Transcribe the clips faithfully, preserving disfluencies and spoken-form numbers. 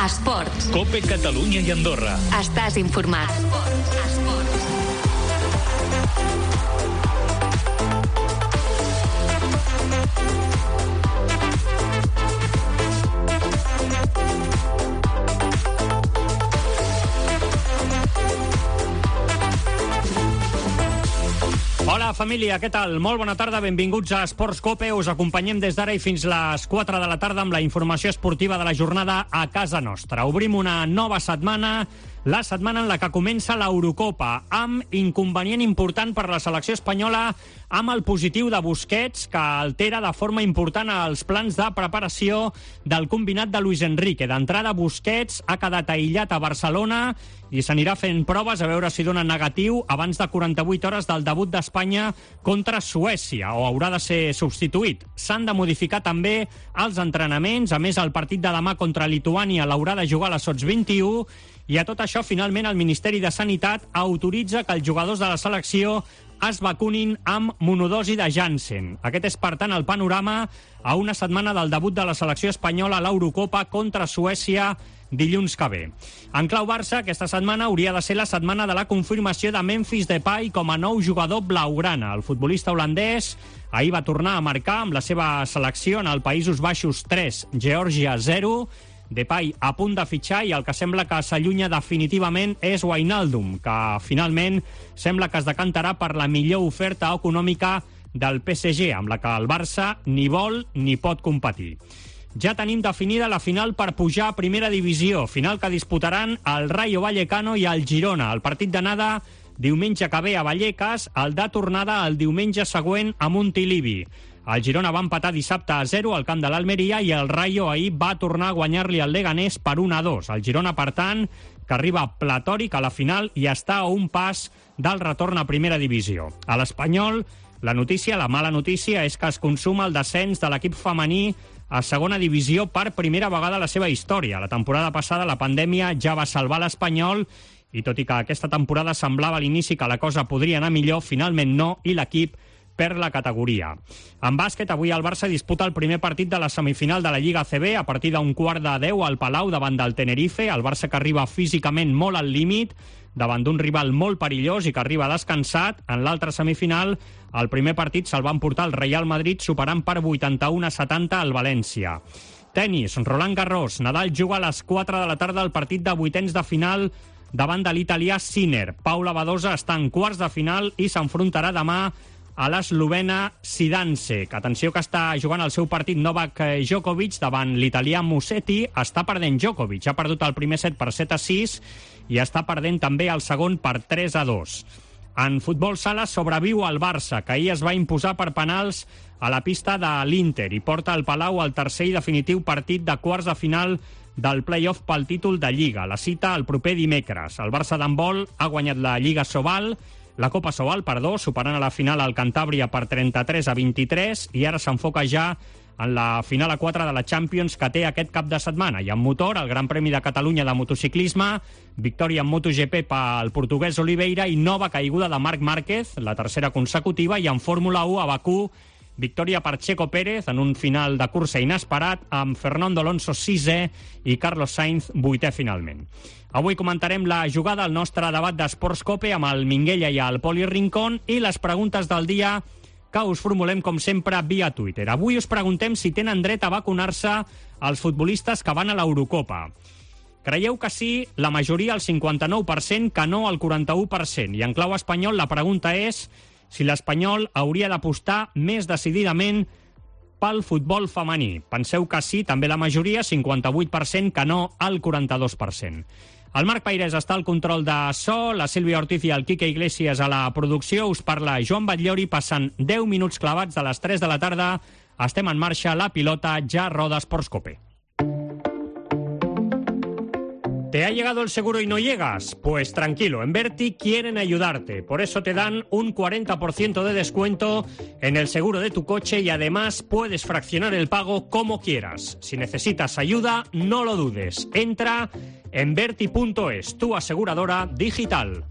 Esports. COPE Catalunya i Andorra. Estàs informat. Esports. Esports. Hola, família, què tal? Molt bona tarda, benvinguts a Esports COPE. Us acompanyem des d'ara i fins les quatre de la tarda amb la informació esportiva de la jornada a casa nostra. Obrim una nova setmana, la setmana en la que comença l'Eurocopa, amb inconvenient important per la selecció espanyola, amb el positiu de Busquets, que altera de forma important els plans de preparació del combinat de Luis Enrique. D'entrada, Busquets ha quedat aïllat a Barcelona i s'anirà fent proves a veure si dona negatiu abans de quaranta-vuit hores del debut d'Espanya contra Suècia, o haurà de ser substituït. S'han de modificar també els entrenaments. A més, el partit de demà contra Lituània l'haurà de jugar a la Sots vint i u, i a tot això, finalment, el Ministeri de Sanitat autoritza que els jugadors de la selecció es vacunin amb monodosi de Janssen. Aquest és, per tant, el panorama a una setmana del debut de la selecció espanyola a l'Eurocopa contra Suècia dilluns que ve. En clau Barça, aquesta setmana hauria de ser la setmana de la confirmació de Memphis Depay com a nou jugador blaugrana. El futbolista holandès ahir va tornar a marcar amb la seva selecció en el Països Baixos tres, Geòrgia zero. Depay a punt de fitxar i el que sembla que s'allunya definitivament és Wijnaldum, que finalment sembla que es decantarà per la millor oferta econòmica del P S G, amb la que el Barça ni vol ni pot competir. Ja tenim definida la final per pujar a primera divisió, final que disputaran el Rayo Vallecano i el Girona. El partit d'anada diumenge que ve a Vallecas, el de tornada el diumenge següent a Montilivi. El Girona va empatar dissabte a zero al camp de l'Almeria i el Rayo ahir va tornar a guanyar-li al Leganés per un a dos. El Girona, per tant, que arriba platòric a la final i està a un pas del retorn a primera divisió. A l'Espanyol, la notícia, la mala notícia, és que es consuma el descens de l'equip femení a segona divisió per primera vegada a la seva història. La temporada passada la pandèmia ja va salvar l'Espanyol i tot i que aquesta temporada semblava a l'inici que la cosa podria anar millor, finalment no, i l'equip per la categoria. En bàsquet, avui el Barça disputa el primer partit de la semifinal de la Lliga A C B a partir d'un quart de deu al Palau davant del Tenerife. El Barça que arriba físicament molt al límit davant d'un rival molt perillós i que arriba descansat. En l'altra semifinal, el primer partit se'l va emportar el Real Madrid superant per vuitanta-u a setanta al València. Tenis, Roland Garros. Nadal juga a les quatre de la tarda el partit de vuitens de final davant de l'italià Sinner. Paula Badosa està en quarts de final i s'enfrontarà demà a l'eslovena Zidansek. Atenció que està jugant el seu partit Novak Djokovic davant l'italià Musetti. Està perdent Djokovic. Ha perdut el primer set per set a sis i està perdent també el segon per tres a dos. En futbol sala sobreviu el Barça, que ahir es va imposar per penals a la pista de l'Inter i porta al Palau el tercer i definitiu partit de quarts de final del play-off pel títol de Lliga. La cita el proper dimecres. El Barça d'handbol ha guanyat la Lliga Sobal, la Copa Sobal, perdó, superant a la final el Cantàbria per trenta-tres a vint-i-tres i ara s'enfoca ja en la final a quatre de la Champions que té aquest cap de setmana. I en motor, el Gran Premi de Catalunya de motociclisme, victòria en MotoGP pel portuguès Oliveira i nova caiguda de Marc Márquez, la tercera consecutiva, i en Fórmula u a Bakú, victòria per Checo Pérez en un final de cursa inesperat amb Fernando Alonso sisè i Carlos Sainz vuitè finalment. Avui comentarem la jugada al nostre debat d'Esports COPE amb el Minguella i el Poli Rincón i les preguntes del dia que us formulem, com sempre, via Twitter. Avui us preguntem si tenen dret a vacunar-se els futbolistes que van a l'Eurocopa. Creieu que sí, la majoria, el cinquanta-nou per cent, que no, el quaranta-u per cent. I en clau espanyol la pregunta és si l'Espanyol hauria d'apostar més decididament pel futbol femení. Penseu que sí, també la majoria, cinquanta-vuit per cent, que no, el quaranta-dos per cent. El Marc Pairès està al control de so, la Sílvia Ortiz i el Quique Iglesias a la producció. Us parla Joan Batllori, passen deu minuts clavats de les tres de la tarda. Estem en marxa, la pilota ja roda Esports COPE. ¿Te ha llegado el seguro y no llegas? Pues tranquilo, en Verti quieren ayudarte. Por eso te dan un cuarenta por ciento de descuento en el seguro de tu coche y además puedes fraccionar el pago como quieras. Si necesitas ayuda, no lo dudes. Entra en Verti punto es, tu aseguradora digital.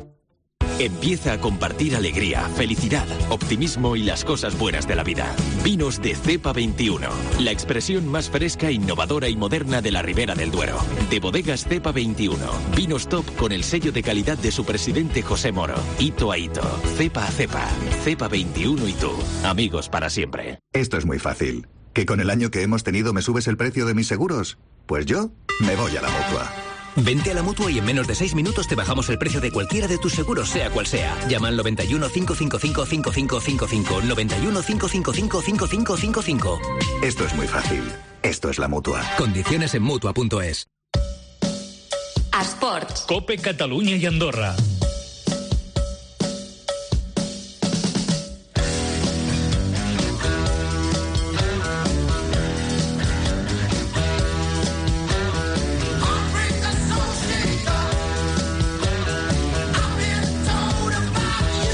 Empieza a compartir alegría, felicidad, optimismo y las cosas buenas de la vida. Vinos de Cepa veintiuno, la expresión más fresca, innovadora y moderna de la Ribera del Duero. De Bodegas Cepa veintiuno, vinos top con el sello de calidad de su presidente José Moro. Hito a hito, cepa a cepa, Cepa veintiuno y tú, amigos para siempre. Esto es muy fácil. ¿Que con el año que hemos tenido me subes el precio de mis seguros? Pues yo me voy a la Mutua. Vente a la Mutua y en menos de seis minutos te bajamos el precio de cualquiera de tus seguros, sea cual sea. Llama al noventa y uno, cinco cinco cinco, cinco cinco cinco cinco, noventa y uno, cinco cinco cinco, cinco cinco cinco cinco. Esto es muy fácil. Esto es la Mutua. Condiciones en Mutua punto es. Esports. Cope Catalunya i Andorra.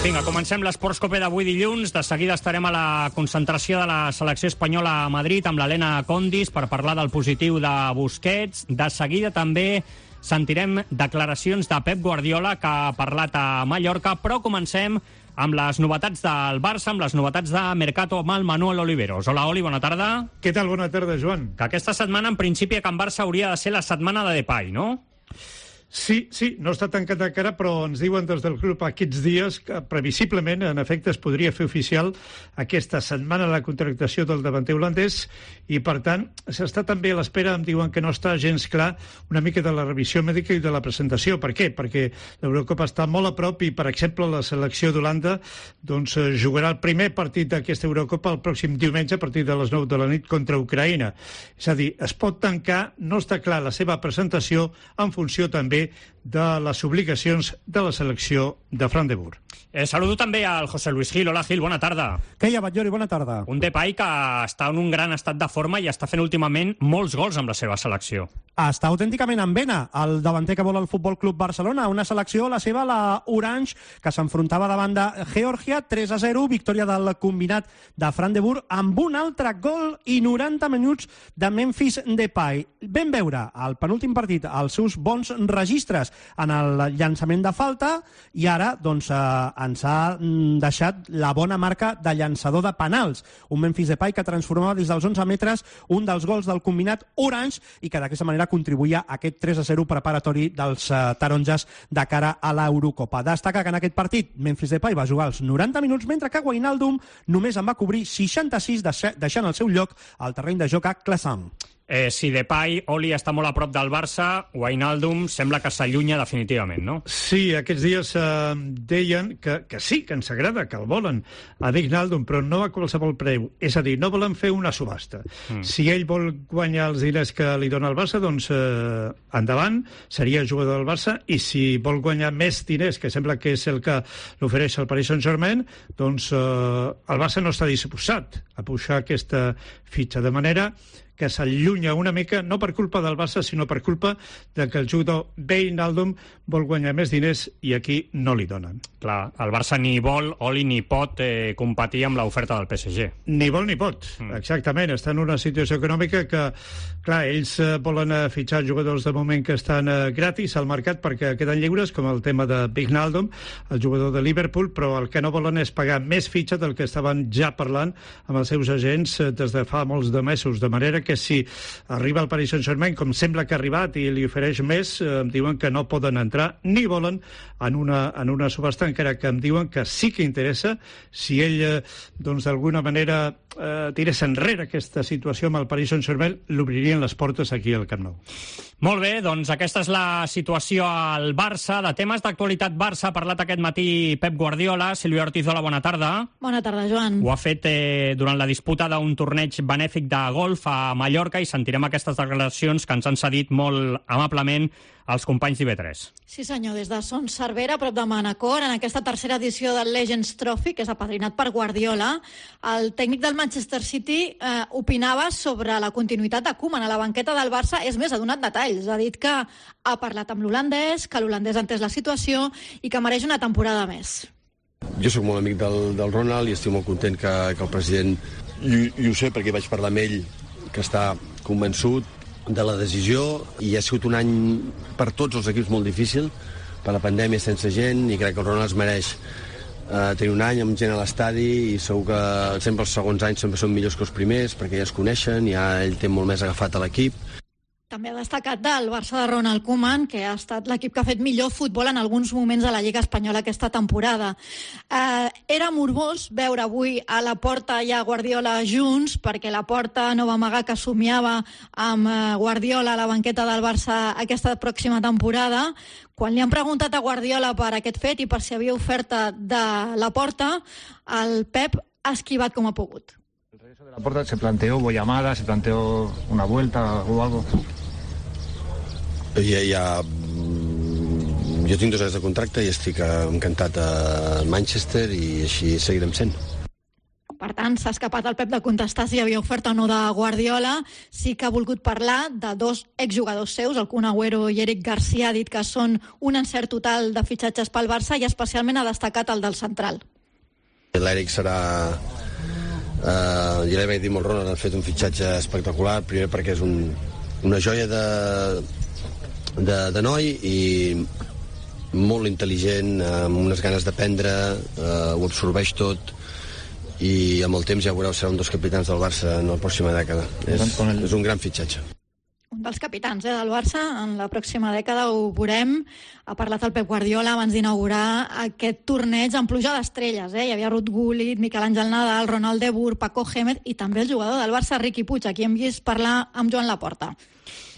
Vinga, comencem l'Esports Cope d'avui dilluns. De seguida estarem a la concentració de la selecció espanyola a Madrid amb l'Helena Condis per parlar del positiu de Busquets. De seguida també sentirem declaracions de Pep Guardiola, que ha parlat a Mallorca, però comencem amb les novetats del Barça, amb les novetats de Mercato amb el Manuel Oliveros. Hola, Oli, bona tarda. Què tal? Bona tarda, Joan. Que aquesta setmana, en principi, a Can Barça hauria de ser la setmana de Depay, no? Sí, sí, no està tancat encara, però ens diuen des del club aquests dies que previsiblement, en efecte, es podria fer oficial aquesta setmana la contractació del davanter holandès i, per tant, s'està també a l'espera, em diuen que no està gens clar, una mica de la revisió mèdica i de la presentació. Per què? Perquè l'Eurocopa està molt a prop i, per exemple, la selecció d'Holanda doncs, jugarà el primer partit d'aquesta Eurocopa el pròxim diumenge a partir de les nou de la nit contra Ucraïna. És a dir, es pot tancar, no està clar la seva presentació en funció també de les obligacions de la selecció de Fran de Boer. Eh, saludo també al José Luis Gil. Hola, Gil, bona tarda. Què hi ha, Batllori? Bona tarda. Un Depay que està en un gran estat de forma i està fent últimament molts gols amb la seva selecció. Està autènticament en vena el davanter que vol el Futbol Club Barcelona, una selecció, la seva, la Orange, que s'enfrontava davant de Geòrgia, tres a zero, victòria del combinat de Fran de Boer, amb un altre gol i noranta minuts de Memphis Depay. Vam veure al penúltim partit els seus bons registres en el llançament de falta i ara doncs, eh, ens ha deixat la bona marca de llançador de penals. Un Memphis Depay que transformava des dels onze metres un dels gols del combinat Orange i que d'aquesta manera contribuïa a aquest tres a zero preparatori dels uh, taronges de cara a l'Eurocopa. Destaca que en aquest partit Memphis Depay va jugar els noranta minuts, mentre que Wijnaldum només en va cobrir seixanta-sis, deixant el seu lloc al terreny de joc a Classant. Eh, si Depay, Oli, està molt a prop del Barça, Wijnaldum sembla que s'allunya definitivament, no? Sí, aquests dies eh, deien que, que sí, que ens agrada, que el volen a Wijnaldum, però no a qualsevol preu. És a dir, no volen fer una subhasta. Mm. Si ell vol guanyar els diners que li dona el Barça, doncs eh, endavant, seria jugador del Barça, i si vol guanyar més diners, que sembla que és el que l'ofereix el Paris Saint-Germain, doncs eh, el Barça no està disposat a pujar aquesta fitxa, de manera que s'allunya una mica, no per culpa del Barça, sinó per culpa de que el jugador Wijnaldum vol guanyar més diners i aquí no li donen. Clar, el Barça ni vol, Oli, ni pot eh, competir amb l'oferta del P S G. Ni vol ni pot, mm. exactament. Està en una situació econòmica que, clar, ells eh, volen eh, fitxar jugadors de moment que estan eh, gratis al mercat perquè queden lliures, com el tema de Wijnaldum, el jugador de Liverpool, però el que no volen és pagar més fitxa del que estaven ja parlant amb els seus agents eh, des de fa molts de mesos, de manera que si arriba el Paris Saint-Germain, com sembla que ha arribat i li ofereix més, eh, em diuen que no poden entrar ni volen en una, en una subhasta, encara que em diuen que sí que interessa si ell, eh, doncs d'alguna manera eh, tirés enrere aquesta situació amb el Paris Saint-Germain, l'obririen les portes aquí al Camp Nou. Molt bé, doncs aquesta és la situació al Barça. De temes d'actualitat Barça ha parlat aquest matí Pep Guardiola. Sílvia Ortiz, hola, bona tarda. Bona tarda, Joan. Ho ha fet eh, durant la disputa d'un torneig benèfic de golf a Mallorca i sentirem aquestes declaracions que ens han cedit molt amablement els companys d'I B tres. Sí senyor, des de Son Cervera, a prop de Manacor, en aquesta tercera edició del Legends Trophy, que és apadrinat per Guardiola, el tècnic del Manchester City eh, opinava sobre la continuïtat de Koeman a la banqueta del Barça. És més, ha donat detalls. Ha dit que ha parlat amb l'holandès, que l'holandès ha entès la situació i que mereix una temporada més. Jo sóc molt amic del, del Ronald i estic molt content que, que el president, i, i ho sé perquè vaig parlar amb ell, que està convençut de la decisió, i ha sigut un any per tots els equips molt difícil, per la pandèmia sense gent, i crec que el Ronald es mereix Uh, tenir un any amb gent a l'estadi, i segur que sempre els segons anys sempre són millors que els primers perquè ja es coneixen, ja ell té molt més agafat a l'equip. També ha destacat del Barça de Ronald Koeman, que ha estat l'equip que ha fet millor futbol en alguns moments a la Lliga Espanyola aquesta temporada. Eh, era morbós veure avui a Laporta i a Guardiola junts, perquè Laporta no va amagar que somiava amb Guardiola a la banqueta del Barça aquesta pròxima temporada. Quan li han preguntat a Guardiola per aquest fet i per si havia oferta de Laporta, el Pep ha esquivat com ha pogut. Laporta se planteó llamada, se planteó una vuelta o algo. Ja, ja, jo tinc dos anys de contracte i estic encantat a Manchester, i així seguirem sent. Per tant, s'ha escapat el Pep de contestar si hi havia oferta o no de Guardiola. Sí que ha volgut parlar de dos exjugadors seus, el Kun Agüero i Eric Garcia. Ha dit que són un encert total de fitxatges pel Barça, i especialment ha destacat el del central. L'Eric serà... Uh, ja l'he dit molt, Ronald ha fet un fitxatge espectacular, primer perquè és un, una joia de, de, de noi, i molt intel·ligent, amb unes ganes d'aprendre, uh, ho absorbeix tot, i amb el temps ja veureu, serà un dels capitans del Barça en la pròxima dècada. És, és un gran fitxatge. Un dels capitans eh, del Barça, en la pròxima dècada ho veurem. Ha parlat el Pep Guardiola abans d'inaugurar aquest torneig en pluja d'estrelles. Eh? Hi havia Ruud Gullit, Miquel Àngel Nadal, Ronald de Boer, Paco Gémez i també el jugador del Barça, Riqui Puig, a qui hem vist parlar amb Joan Laporta.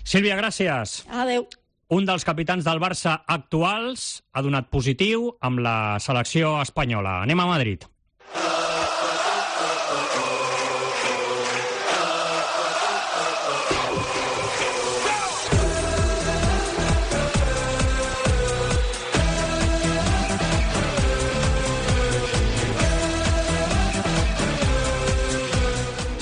Sílvia, gràcies. Adéu. Un dels capitans del Barça actuals ha donat positiu amb la selecció espanyola. Anem a Madrid.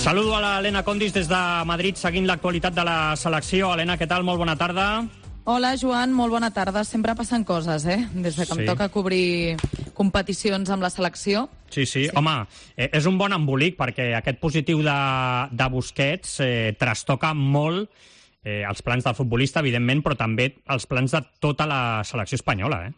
Saludo a l'Helena Condis des de Madrid, seguint l'actualitat de la selecció. Helena, què tal? Molt bona tarda. Hola, Joan, molt bona tarda. Sempre passen coses, eh? Des de que sí. Em toca cobrir competicions amb la selecció. Sí, sí. sí. Home, eh, és un bon embolic, perquè aquest positiu de, de Busquets eh, trastoca molt eh, els plans del futbolista, evidentment, però també els plans de tota la selecció espanyola, eh?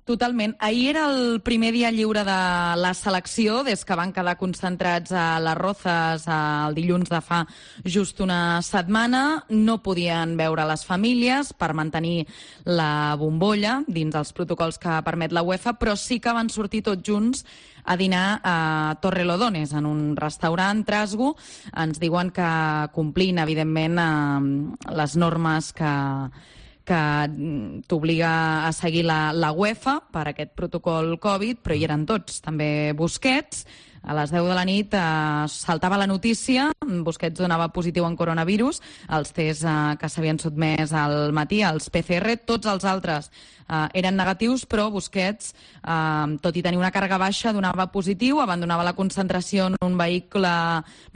Totalment. Ahir era el primer dia lliure de la selecció, des que van quedar concentrats a les Rozas el dilluns de fa just una setmana. No podien veure les famílies per mantenir la bombolla dins els protocols que permet la UEFA, però sí que van sortir tots junts a dinar a Torrelodones, en un restaurant Trasgo. Ens diuen que complint, evidentment, les normes que... que t'obliga a seguir la, la UEFA per aquest protocol Covid, però hi eren tots, també Busquets. A les deu de la nit eh, saltava la notícia, Busquets donava positiu en coronavirus, els tests eh, que s'havien sotmès al matí, els P C R, tots els altres eh, eren negatius, però Busquets, eh, tot i tenir una càrrega baixa, donava positiu, abandonava la concentració en un vehicle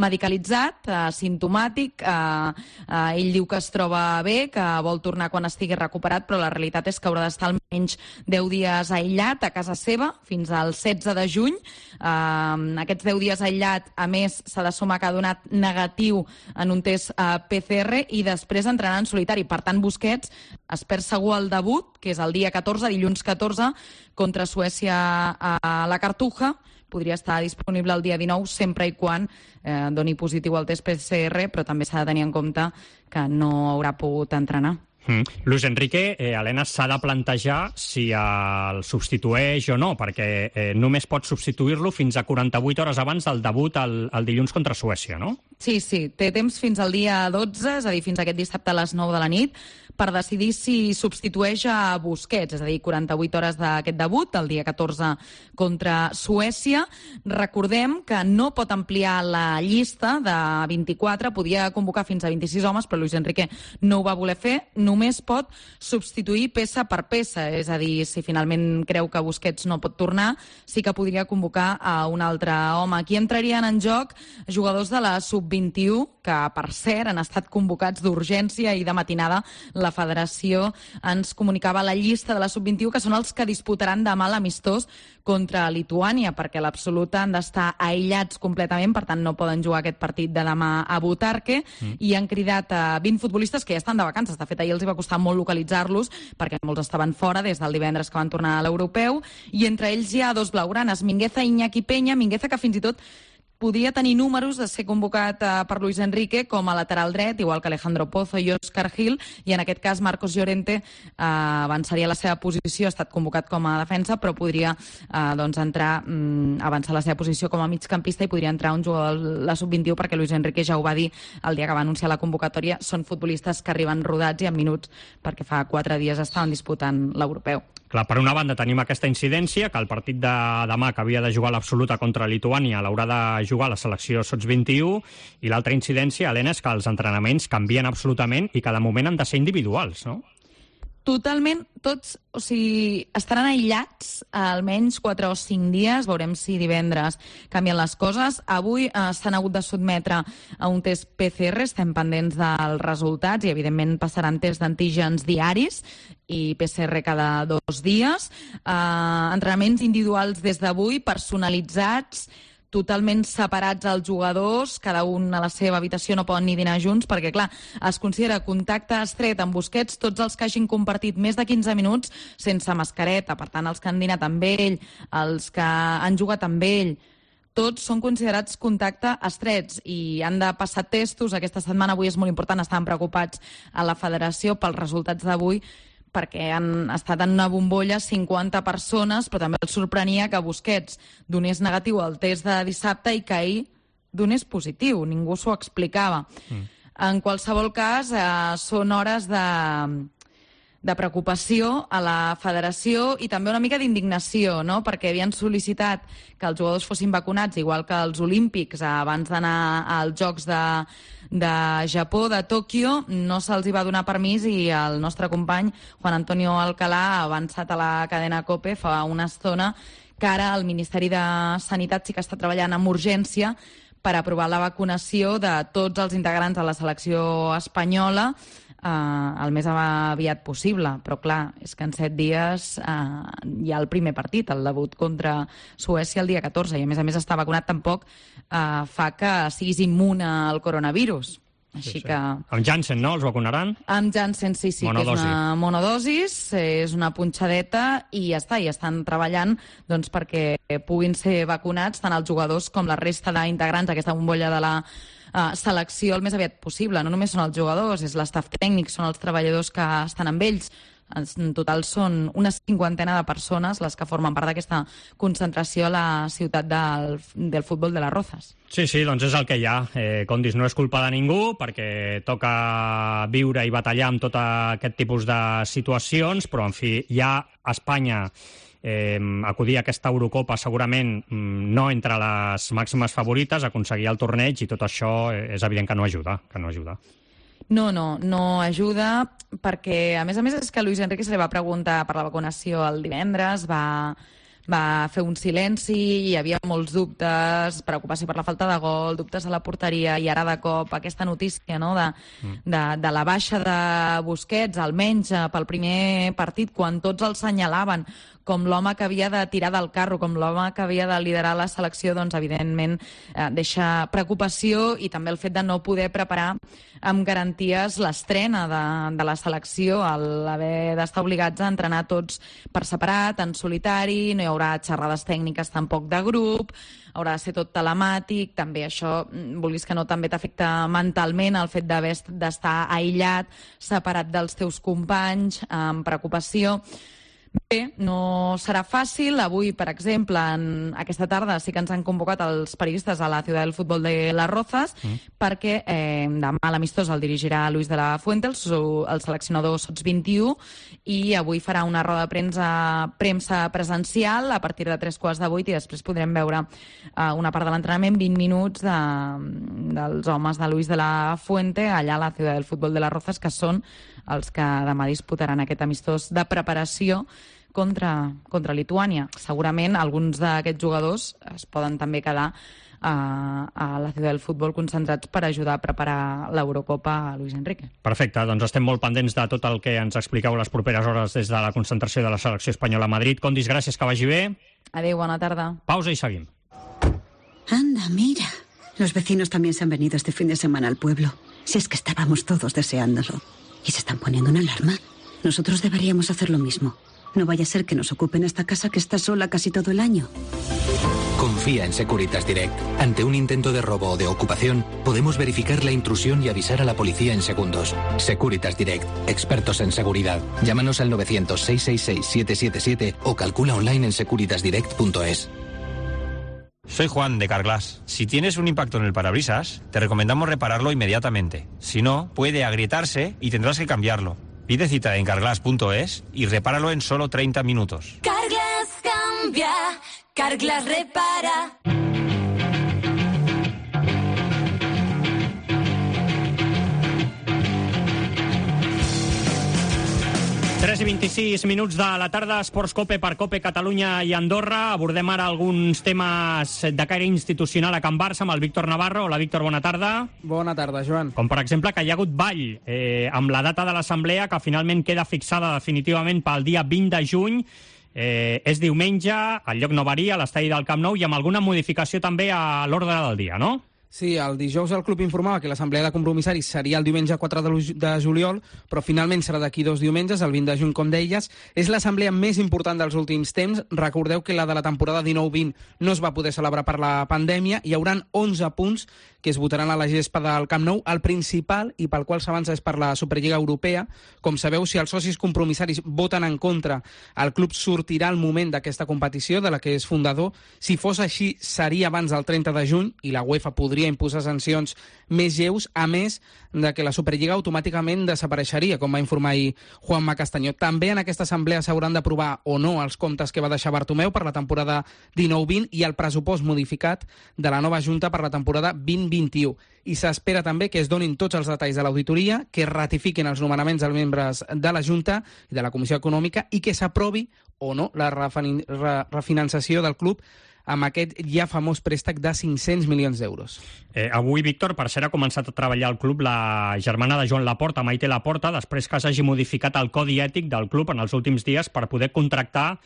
medicalitzat, eh, simptomàtic. Eh, eh, ell diu que es troba bé, que vol tornar quan estigui recuperat, però la realitat és que haurà d'estar almenys deu dies aïllat a casa seva, fins al setze de juny. Eh, Aquests deu dies aïllat, a més, s'ha de sumar que ha donat negatiu en un test uh, P C R i després entrarà en solitari. Per tant, Busquets es perd segur el debut, que és el dia catorze, dilluns catorze, contra Suècia a la Cartuja. Podria estar disponible el dia dinou, sempre i quan eh, doni positiu el test P C R, però també s'ha de tenir en compte que no haurà pogut entrenar. Mm. Luis Enrique, eh, Helena, s'ha de plantejar si el substitueix o no, perquè eh, només pot substituir-lo fins a quaranta-vuit hores abans del debut el, el dilluns contra Suècia, no? Sí, sí, té temps fins al dia dotze, és a dir, fins aquest dissabte a les nou de la nit, per decidir si substitueix a Busquets, és a dir, quaranta-vuit hores d'aquest debut, el dia catorze contra Suècia. Recordem que no pot ampliar la llista de vint-i-quatre, podia convocar fins a vint-i-sis homes, però Luis Enrique no ho va voler fer, només pot substituir peça per peça, és a dir, si finalment creu que Busquets no pot tornar, sí que podria convocar a un altre home. Aquí entrarien en joc jugadors de la sub vint i u, que, per cert, han estat convocats d'urgència i de matinada la federació ens comunicava la llista de la sub vint i u, que són els que disputaran demà l'amistós contra Lituània, perquè a l'absoluta han d'estar aïllats completament, per tant no poden jugar aquest partit de demà a Butarque, mm. i han cridat a vint futbolistes que ja estan de vacances. De fet, ahir els hi va costar molt localitzar-los, perquè molts estaven fora des del divendres que van tornar a l'europeu, i entre ells hi ha dos blaugranes, Mingueza i Iñaki Peña, Mingueza que fins i tot podria tenir números de ser convocat eh, per Luis Enrique com a lateral dret, igual que Alejandro Pozo i Óscar Gil, i en aquest cas Marcos Llorente eh, avançaria la seva posició, ha estat convocat com a defensa, però podria eh, doncs entrar, mm, avançar la seva posició com a migcampista i podria entrar un jugador de la sub vint i u, perquè Luis Enrique ja ho va dir el dia que va anunciar la convocatòria, són futbolistes que arriben rodats i en minuts, perquè fa quatre dies estaven disputant l'europeu. Clar, per una banda tenim aquesta incidència, que el partit de demà, que havia de jugar l'absoluta contra Lituània, l'haurà de jugar la selecció sots vint i u, i l'altra incidència, Helena, és que els entrenaments canvien absolutament i que de moment han de ser individuals, no? Totalment, tots, o sigui, estaran aïllats almenys quatre o cinc dies, veurem si divendres canvien les coses. Avui eh, s'han hagut de sotmetre a un test P C R, estem pendents dels resultats i evidentment passaran tests d'antígens diaris i P C R cada dos dies. Eh, entrenaments individuals des d'avui, personalitzats, totalment separats els jugadors, cada un a la seva habitació, no poden ni dinar junts, perquè, clar, es considera contacte estret amb Busquets tots els que hagin compartit més de quinze minuts sense mascareta. Per tant, els que han dinat amb ell, els que han jugat amb ell, tots són considerats contacte estrets i han de passar testos. Aquesta setmana, avui és molt important, estaven preocupats a la federació pels resultats d'avui, perquè han estat en una bombolla cinquanta persones, però també els sorprenia que Busquets donés negatiu al test de dissabte i que ahir donés positiu. Ningú s'ho explicava. Mm. En qualsevol cas, eh, són hores de, de preocupació a la federació i també una mica d'indignació, no? Perquè havien sol·licitat que els jugadors fossin vacunats, igual que els olímpics, abans d'anar als Jocs de, de Japó, de Tòquio, no se'ls hi va donar permís i el nostre company Juan Antonio Alcalá ha avançat a la cadena COPE fa una estona que ara el Ministeri de Sanitat sí que està treballant amb urgència per aprovar la vacunació de tots els integrants de la selecció espanyola Uh, el més aviat possible, però clar, és que en set dies uh, hi ha el primer partit, el debut contra Suècia el dia catorze, i a més a més estar vacunat tampoc uh, fa que siguis immune al coronavirus. Així sí, sí. que... Amb Janssen, no? Els vacunaran? Amb Janssen, sí, sí, monodosi. Que és una monodosis, és una punxadeta i ja està, i estan treballant doncs, perquè puguin ser vacunats tant els jugadors com la resta d'integrants d'aquesta bombolla de la Uh, selecció el més aviat possible. No només són els jugadors, és l'estaf tècnic, són els treballadors que estan amb ells. En total són una cinquantena de persones les que formen part d'aquesta concentració a la ciutat del, del futbol de les Rozas. Sí, sí, doncs és el que hi ha. Eh, com dius, no és culpa de ningú, perquè toca viure i batallar amb tot aquest tipus de situacions, però, en fi, ja a Espanya Eh, acudir a aquesta Eurocopa segurament no entre les màximes favorites, aconseguir el torneig, i tot això és evident que no ajuda, que no ajuda. No, no, no ajuda, perquè a més a més és que Luis Enrique se li va preguntar per la vacunació el divendres, va, va fer un silenci, hi havia molts dubtes, preocupació per la falta de gol, dubtes a la porteria, i ara de cop aquesta notícia, no?, de, de, de la baixa de Busquets, almenys pel primer partit, quan tots el senyalaven com l'home que havia de tirar del carro, com l'home que havia de liderar la selecció, doncs evidentment eh, deixa preocupació, i també el fet de no poder preparar amb garanties l'estrena de, de la selecció, l'haver d'estar obligats a entrenar tots per separat, en solitari, no hi haurà xerrades tècniques tampoc de grup, haurà de ser tot telemàtic, també això, vulguis que no, també t'afecta mentalment el fet d'haver d'estar aïllat, separat dels teus companys, amb preocupació. Bé, no serà fàcil. Avui, per exemple, en aquesta tarda sí que ens han convocat els periodistes a la ciutat del futbol de les Rozas, mm. perquè eh, demà l'amistós el dirigirà Luis de la Fuente, el, el seleccionador sots vint i u, i avui farà una roda de premsa, premsa presencial a partir de tres quarts de vuit, i després podrem veure eh, una part de l'entrenament, vint minuts de, dels homes de Luis de la Fuente allà a la ciutat del futbol de les Rozas, que són els que demà disputaran aquest amistós de preparació contra, contra Lituània. Segurament alguns d'aquests jugadors es poden també quedar a, a la Ciutat del Futbol concentrats per ajudar a preparar l'Eurocopa a Luis Enrique. Perfecte, doncs estem molt pendents de tot el que ens expliqueu les properes hores des de la concentració de la selecció espanyola a Madrid. Condis, gràcies, que vagi bé. Adéu, bona tarda. Pausa i seguim. Anda, mira. Los vecinos también se han venido este fin de semana al pueblo. Si es que estábamos todos deseándolo. ¿Y se están poniendo una alarma? Nosotros deberíamos hacer lo mismo. No vaya a ser que nos ocupen esta casa que está sola casi todo el año. Confía en Securitas Direct. Ante un intento de robo o de ocupación, podemos verificar la intrusión y avisar a la policía en segundos. Securitas Direct, expertos en seguridad. Llámanos al novecientos, seiscientos sesenta y seis, siete siete siete o calcula online en securitas direct punto es. Soy Juan, de Carglass. Si tienes un impacto en el parabrisas, te recomendamos repararlo inmediatamente. Si no, puede agrietarse y tendrás que cambiarlo. Pide cita en carglass punto es y repáralo en solo treinta minutos. Carglass cambia, Carglass repara. tres i vint-i-sis minuts de la tarda, Esports Cope per Cope Catalunya i Andorra. Abordem ara alguns temes de caire institucional a Can Barça amb el Víctor Navarro. Hola, Víctor, bona tarda. Bona tarda, Joan. Com, per exemple, que hi ha hagut ball eh, amb la data de l'assemblea, que finalment queda fixada definitivament pel dia vint de juny. Eh, és diumenge, el lloc no varia, a l'estadi del Camp Nou, i amb alguna modificació també a l'ordre del dia, no? Sí, el dijous el club informava que l'assemblea de compromissaris seria el diumenge quatre de juliol, però finalment serà d'aquí dos diumenges, el vint de juny, com deies. És l'assemblea més important dels últims temps. Recordeu que la de la temporada dinou vint no es va poder celebrar per la pandèmia. Hi haurà onze punts que es votaran a la gespa del Camp Nou. El principal, i pel qual s'avança, és per la Superliga Europea. Com sabeu, si els socis compromissaris voten en contra, el club sortirà al moment d'aquesta competició, de la que és fundador. Si fos així, seria abans del trenta de juny, i la UEFA podria imposar sancions més lleus, a més de que la Superliga automàticament desapareixeria, com va informar ahir Juanma Castañó. També en aquesta assemblea s'hauran d'aprovar o no els comptes que va deixar Bartomeu per la temporada dinou vint i el pressupost modificat de la nova Junta per la temporada vint vint-i-u. I s'espera també que es donin tots els detalls de l'auditoria, que es ratifiquin els nomenaments dels membres de la Junta i de la Comissió Econòmica i que s'aprovi o no la refinanciació del club amb aquest ja famós préstec de cinc-cents milions d'euros. Eh, avui, Víctor, per cert, ha començat a treballar al club la germana de Joan Laporta, Maite Laporta, després que s'hagi modificat el codi ètic del club en els últims dies per poder contractar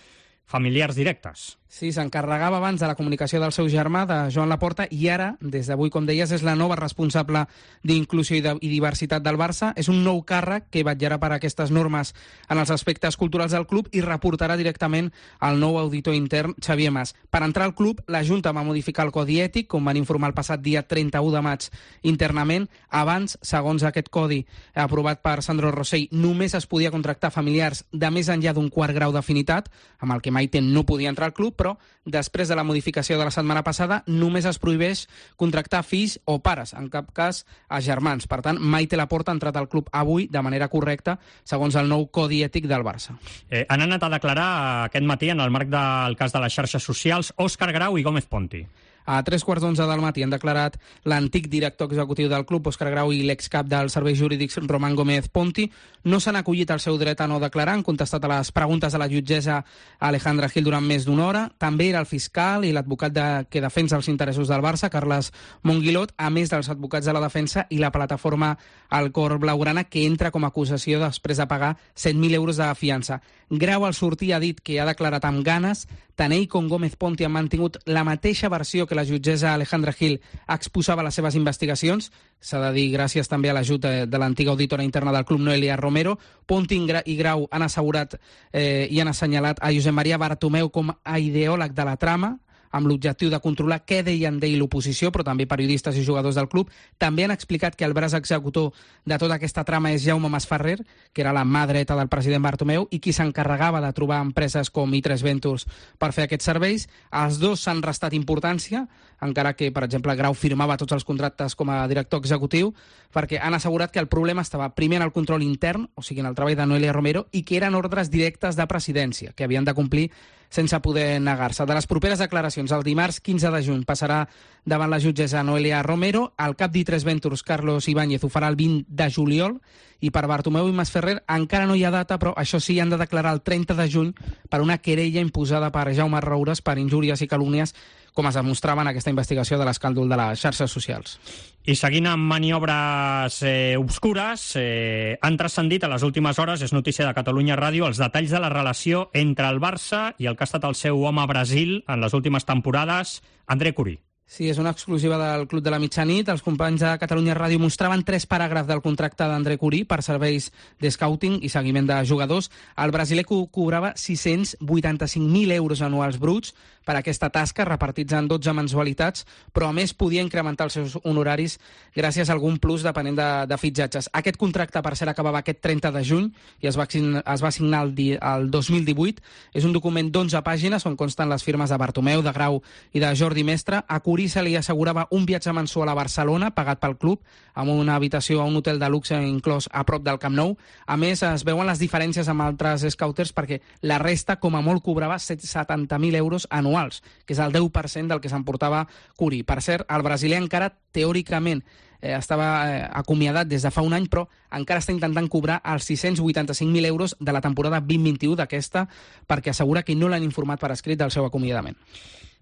familiars directes. Sí, s'encarregava abans de la comunicació del seu germà, de Joan Laporta, i ara, des d'avui, com deies, és la nova responsable d'inclusió i, de, i diversitat del Barça. És un nou càrrec que vetllarà per aquestes normes en els aspectes culturals del club i reportarà directament al nou auditor intern, Xavier Mas. Per entrar al club, la Junta va modificar el codi ètic, com van informar el passat dia trenta-u de maig internament. Abans, segons aquest codi aprovat per Sandro Rosell, només es podia contractar familiars de més enllà d'un quart grau d'afinitat, amb el que Maite no podia entrar al club, però després de la modificació de la setmana passada només es prohibeix contractar fills o pares, en cap cas a germans. Per tant, Maite Laporta ha entrat al club avui de manera correcta, segons el nou codi ètic del Barça. Eh, han anat a declarar aquest matí, en el marc del cas de les xarxes socials, Òscar Grau i Gómez Ponti. A tres quarts d'onze del matí han declarat l'antic director executiu del club, Òscar Grau, i l'excap dels serveis jurídics, Román Gómez Ponti. No s'han acollit al seu dret a no declarar, han contestat a les preguntes de la jutgessa Alejandra Gil durant més d'una hora. També era el fiscal i l'advocat de, que defensa els interessos del Barça, Carles Monguilot, a més dels advocats de la defensa i la plataforma El Cor Blaugrana, que entra com a acusació després de pagar set mil euros de fiança. Grau al sortir ha dit que ha declarat amb ganes. Tant ell com Gómez Ponti han mantingut la mateixa versió que la jutgessa Alejandra Gil exposava les seves investigacions. S'ha de dir gràcies també a l'ajut de, de l'antiga auditora interna del club, Noelia Romero. Ponti i Grau han assegurat eh, i han assenyalat a Josep Maria Bartomeu com a ideòleg de la trama, amb l'objectiu de controlar què deien d'ell l'oposició, però també periodistes i jugadors del club. També han explicat que el braç executor de tota aquesta trama és Jaume Masferrer, que era la mà dreta del president Bartomeu i qui s'encarregava de trobar empreses com i tres Ventures per fer aquests serveis. Els dos s'han restat importància, encara que, per exemple, Grau firmava tots els contractes com a director executiu, perquè han assegurat que el problema estava primer en el control intern, o sigui, en el treball de Noelia Romero, i que eren ordres directes de presidència, que havien de complir sense poder negar-se. De les properes declaracions, el dimarts quinze de juny passarà davant la jutgessa Noelia Romero, el cap d'I tres Ventures, Carlos Ibáñez, ho farà el vint de juliol, i per Bartomeu i Masferrer encara no hi ha data, però això sí, han de declarar el trenta de juny per una querella imposada per Jaume Roures per injúries i calúmnies, com es demostrava en aquesta investigació de l'escàndol de les xarxes socials. I seguint amb maniobres eh, obscures, eh, han transcendit a les últimes hores, és notícia de Catalunya Ràdio, els detalls de la relació entre el Barça i el que ha estat el seu home a Brasil en les últimes temporades, André Curí. Sí, és una exclusiva del Club de la Mitjanit. Els companys de Catalunya Ràdio mostraven tres paràgrafs del contracte d'André Curí per serveis de scouting i seguiment de jugadors. El brasiler cobrava sis-cents vuitanta-cinc mil euros anuals bruts per aquesta tasca, repartits en dotze mensualitats, però a més podia incrementar els seus honoraris gràcies a algun plus depenent de, de fitxatges. Aquest contracte, per cert, acabava aquest trenta de juny i es va, es va signar el, di, el dos mil divuit. És un document d'onze pàgines on consten les firmes de Bartomeu, de Grau i de Jordi Mestre. A Curí se li assegurava un viatge mensual a Barcelona, pagat pel club, amb una habitació a un hotel de luxe inclòs a prop del Camp Nou. A més, es veuen les diferències amb altres scouters perquè la resta, com a molt, cobrava setanta mil euros anuals, que és el deu per cent del que s'emportava Curí. Per cert, el brasiler encara, teòricament, eh, estava eh, acomiadat des de fa un any, però encara està intentant cobrar els sis-cents vuitanta-cinc mil euros de la temporada vint vint-vint-un d'aquesta, perquè assegura que no l'han informat per escrit del seu acomiadament.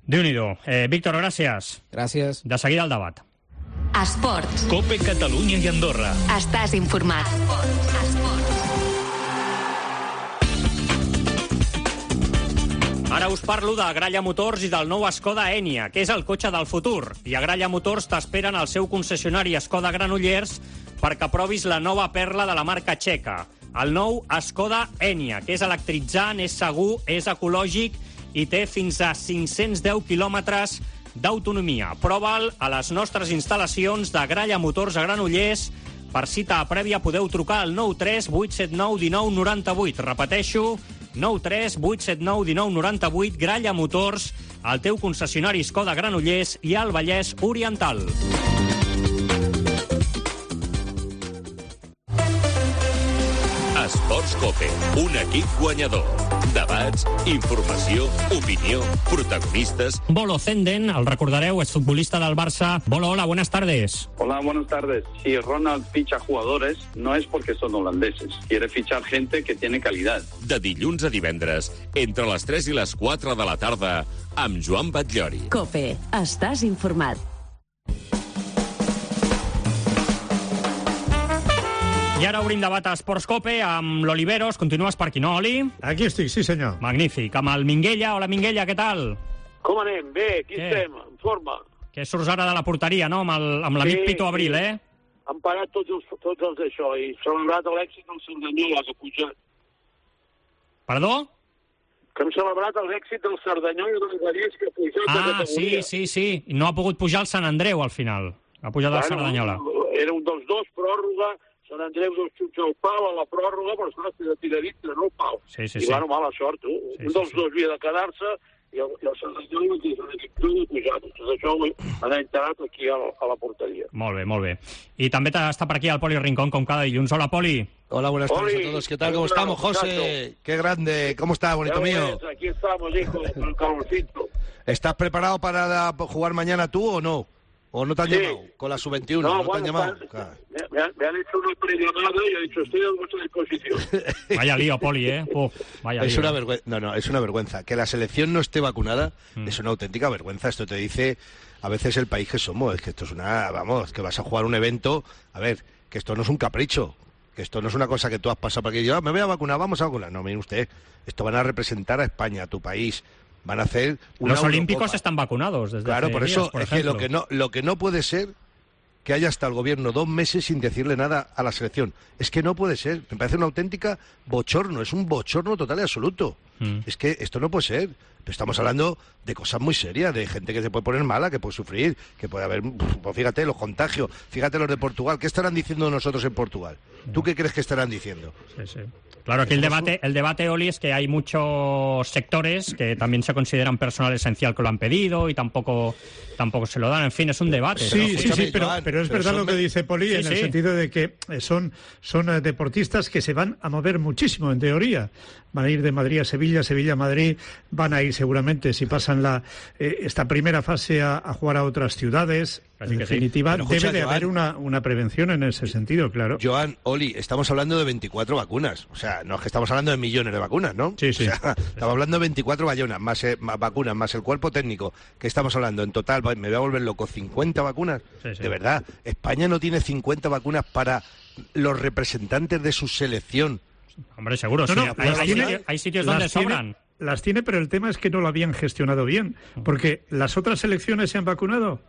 Déu-n'hi-do. Eh, Víctor, gràcies. Gràcies. De seguida el debat. Esports. Cope Catalunya i Andorra. Estàs informat. Esports. Esports. Ara us parlo de Gralla Motors i del nou Skoda Enyaq, que és el cotxe del futur. I a Gralla Motors t'esperen al seu concessionari Skoda Granollers perquè provis la nova perla de la marca txeca. El nou Skoda Enyaq, que és electritzant, és segur, és ecològic i té fins a cinc-cents deu quilòmetres d'autonomia. Prova'l a les nostres instal·lacions de Gralla Motors a Granollers. Per cita prèvia podeu trucar al nou tres vuit set nou un nou nou vuit. Repeteixo, nou tres vuit set nou un nou nou vuit. Gralla Motors, el teu concessionari Skoda Granollers i al Vallès Oriental. Esports Cope, un equip guanyador. Debats, informació, opinió, protagonistas. Bolo Zenden, el recordareu, és futbolista del Barça. Bolo, hola, buenas tardes. Hola, buenas tardes. Si Ronald ficha jugadores, no es porque son holandeses. Quiere fichar gente que tiene calidad. De dilluns a divendres, entre les tres i les quatre de la tarda, amb Joan Batllori. Cope, estàs informat. I ara obrim debat a Esports Cope amb l'Oliveros. Continues per aquí, no, Oli? Aquí estic, sí senyor. Magnífic. Amb el Minguella. Hola, Minguella, què tal? Com anem? Bé, aquí Què? estem, en forma. Que surts ara de la porteria, no? Amb el- amb l'amic Sí, Pito Abril, sí. eh? Han parat tots els, tots els d'això i celebrat l'èxit del Cerdanyola, que ha pujat. Perdó? Que hem celebrat l'èxit del Cerdanyola del Vallès, que ha pujat de Ah, categoria. sí, sí, sí. I no ha pogut pujar el Sant Andreu, al final. Ha pujat el Cerdanyola. Era un dels dos, pròrroga, Sant Andreu dos xuts al pal a la pròrroga, però esclar, de tira dintre, no el pal. Sí, sí, I sí. bueno, mala sort, tu. Sí, un sí, dels sí. dos havia de quedar-se i el, i el Cerdanyola que és l'equip de pujat. Tot això ho han enterat aquí a, a la porteria. Molt bé, molt bé. I també està per aquí el Poli Rincón, com cada dilluns. Hola, Poli. Hola, buenas tardes Oli, a todos. ¿Qué tal? ¿Cómo hola, estamos, José? muchacho. Qué grande. ¿Cómo está, bonito Ya mío? ves, aquí estamos, hijo, con el calorcito. ¿Estás preparado para la- jugar mañana tú o no? ¿O no te han Sí. llamado? Con la sub veintiuno, No, ¿no, bueno, te han llamado? está- Claro. Me, me han, me han hecho una prellamada y he dicho, estoy a vuestra disposición. Vaya lío, Poli, ¿eh? Uf, vaya Es lío. una vergüenza. No, no, es una vergüenza. Que la selección no esté vacunada es una auténtica vergüenza. Esto te dice a veces el país que somos. Es que esto es una... Vamos, que vas a jugar un evento... A ver, que esto no es un capricho. Que esto no es una cosa que tú has pasado para que yo me voy a vacunar, vamos a vacunar. No, mire usted, esto van a representar a España, a tu país. Van a hacer una Los olímpicos Eurocopa. están vacunados desde Claro, hace por eso días, por es que lo ejemplo. que no lo que no puede ser que haya hasta el gobierno dos meses sin decirle nada a la selección. Es que no puede ser. Me parece una auténtica bochorno. Es un bochorno total y absoluto. Mm. Es que esto no puede ser. Estamos hablando de cosas muy serias, de gente que se puede poner mala, que puede sufrir, que puede haber... Pues fíjate, los contagios. Fíjate los de Portugal. ¿Qué estarán diciendo nosotros en Portugal? ¿Tú qué crees que estarán diciendo? Sí, sí. Claro, aquí el debate, el debate, Oli, es que hay muchos sectores que también se consideran personal esencial que lo han pedido y tampoco, tampoco se lo dan. En fin, es un debate. Sí, Pero, sí, sí, pero, pero es verdad lo que dice Poli, Sí, en el sí. sentido de que eh, son, son eh, deportistas que se van a mover muchísimo, en teoría. van a ir de Madrid a Sevilla, Sevilla a Madrid, van a ir seguramente, si pasan la eh, esta primera fase, a, a jugar a otras ciudades. Así en que definitiva, sí. Pero escucha, debe de Joan, haber una, una prevención en ese sentido, claro. Joan, Oli, estamos hablando de veinticuatro vacunas. O sea, no es que estamos hablando de millones de vacunas, ¿no? Sí, sí. O sea, estamos hablando de veinticuatro vacunas, más, eh, más vacunas, más el cuerpo técnico, que estamos hablando en total, me voy a volver loco, cincuenta vacunas. Sí, sí. De verdad, España no tiene cincuenta vacunas para los representantes de su selección. Hombre, seguro, No, sí. no, hay, las hay tiene- sitios, hay sitios las donde tiene- sobran. Las tiene, pero el tema es que no lo habían gestionado bien, porque las otras selecciones se han vacunado.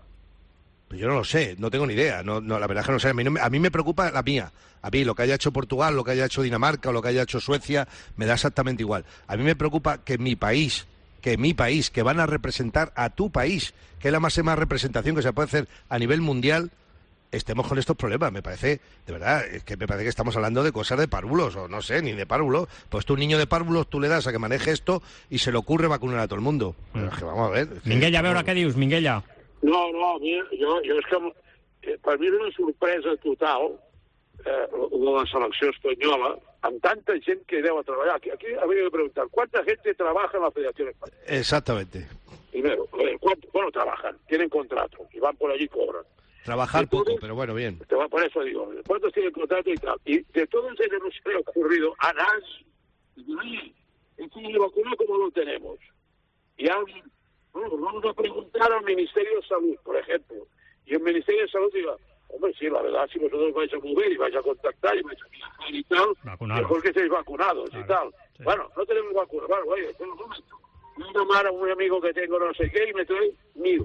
Pues yo no lo sé, no tengo ni idea. No, no, la verdad es que no sé. A mí, no me, a mí me preocupa la mía. A mí lo que haya hecho Portugal, lo que haya hecho Dinamarca o lo que haya hecho Suecia, me da exactamente igual. A mí me preocupa que mi país, que mi país, que van a representar a tu país, que es la máxima representación que se puede hacer a nivel mundial, estemos con estos problemas. Me parece, de verdad, es que me parece que estamos hablando de cosas de párvulos, o no sé, ni de párvulos. Pues tú, un niño de párvulos, tú le das a que maneje esto y se le ocurre vacunar a todo el mundo. Pero es que vamos a ver. es que- Minguella, a veure què dius, Minguella. No, no, a mi, jo, jo és que eh, per mi és una sorpresa total eh, de la selecció espanyola, amb tanta gent que deu a treballar. Aquí, aquí habría que preguntar, ¿cuánta gente trabaja en la Federación Española? Exactamente. Primero, eh, ¿cuánto? Bueno, trabajan, tienen contrato, y van por allí y cobran. Trabajar Entonces, poco, pero bueno, bien. Te va, por eso digo, ¿cuántos tienen contrato y tal? Y de todos ellos no se le ha ocurrido a nadie. Dice, oye, este de vacuna, ¿cómo lo tenemos? Y alguien, bueno, pues vamos a preguntar al Ministerio de Salud, por ejemplo. Y el Ministerio de Salud diga, hombre, sí, la verdad, si vosotros vais a mover y vais a contactar y vais a viajar y tal, Vacunados. mejor que estéis vacunados Claro, y tal. sí. Bueno, no tenemos vacunas. Bueno, oye, espera un momento. Voy a llamar a un amigo que tengo no sé qué y me trae mil.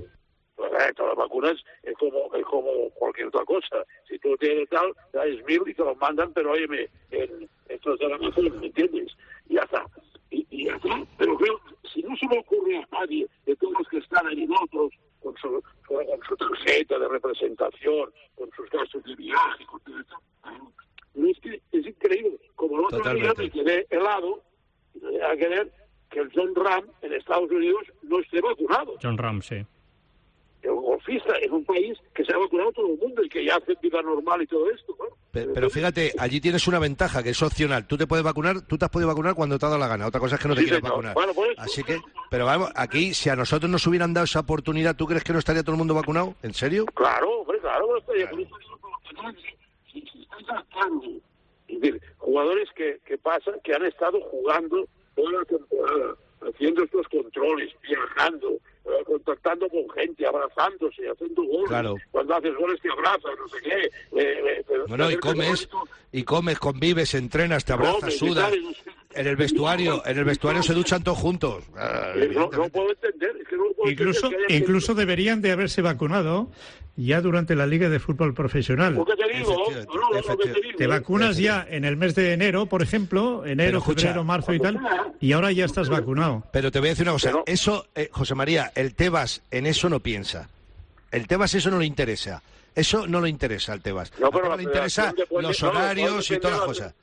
Pues, eh, todas las vacunas es como, es como cualquier otra cosa. Si tú tienes tal, traes mil y te los mandan, pero óyeme, en, esto es de la Amazon, ¿me entiendes? Y ya está. Y, y ya está. Pero creo, si no se me ocurre a nadie de todos los que están ahí otros, con su, con su tarjeta de representación, con sus gastos de viaje, con todo esto, no es que es increíble. Como el otro Totalmente. día me quedé helado, a querer que el John Ram en Estados Unidos no esté vacunado. John Ram, sí. El golfista en un país que se ha vacunado todo el mundo y que ya hace vida normal y todo esto, ¿no? Pe- Pero fíjate, allí tienes una ventaja que es opcional. Tú te puedes vacunar, tú te has podido vacunar cuando te ha dado la gana. Otra cosa es que no te Sí, quieras señor. vacunar. Bueno, por eso- Así que, pero vamos, aquí, si a nosotros nos hubieran dado esa oportunidad, ¿tú crees que no estaría todo el mundo vacunado? ¿En serio? Claro, hombre, claro, no estaría por eso digo, por lo que si, si estáis sacando, es decir, jugadores que, que pasan, que han estado jugando toda la temporada, haciendo estos controles, viajando, eh, contactando con gente, abrazándose, haciendo goles. Claro. Cuando haces goles te abrazas, no sé qué. Eh, eh, pero- Bueno, y comes, y comes, convives, entrenas, te abrazas, Comes y sudas. tal, y no sé. En el vestuario, en el vestuario se duchan todos juntos. Ah, Eh, No, no puedo entender, es que no lo puedo Incluso, entender. que haya incluso deberían de haberse vacunado ya durante la Liga de Fútbol Profesional. gente- Lo que te digo, Efectivamente, no, no, lo que te efectivamente. digo. Te vacunas ya en el mes de enero, por ejemplo, Pero enero, escucha, febrero, marzo y tal, y ahora ya estás vacunado. Pero te voy a decir una cosa, Pero- eso, eh, José María, el Tebas en eso no piensa. El Tebas eso no le interesa. Eso no le interesa al Tebas. No, Al pero Tebas la le interesa federación depende- los no, no, horarios y depende todas las de la- cosas.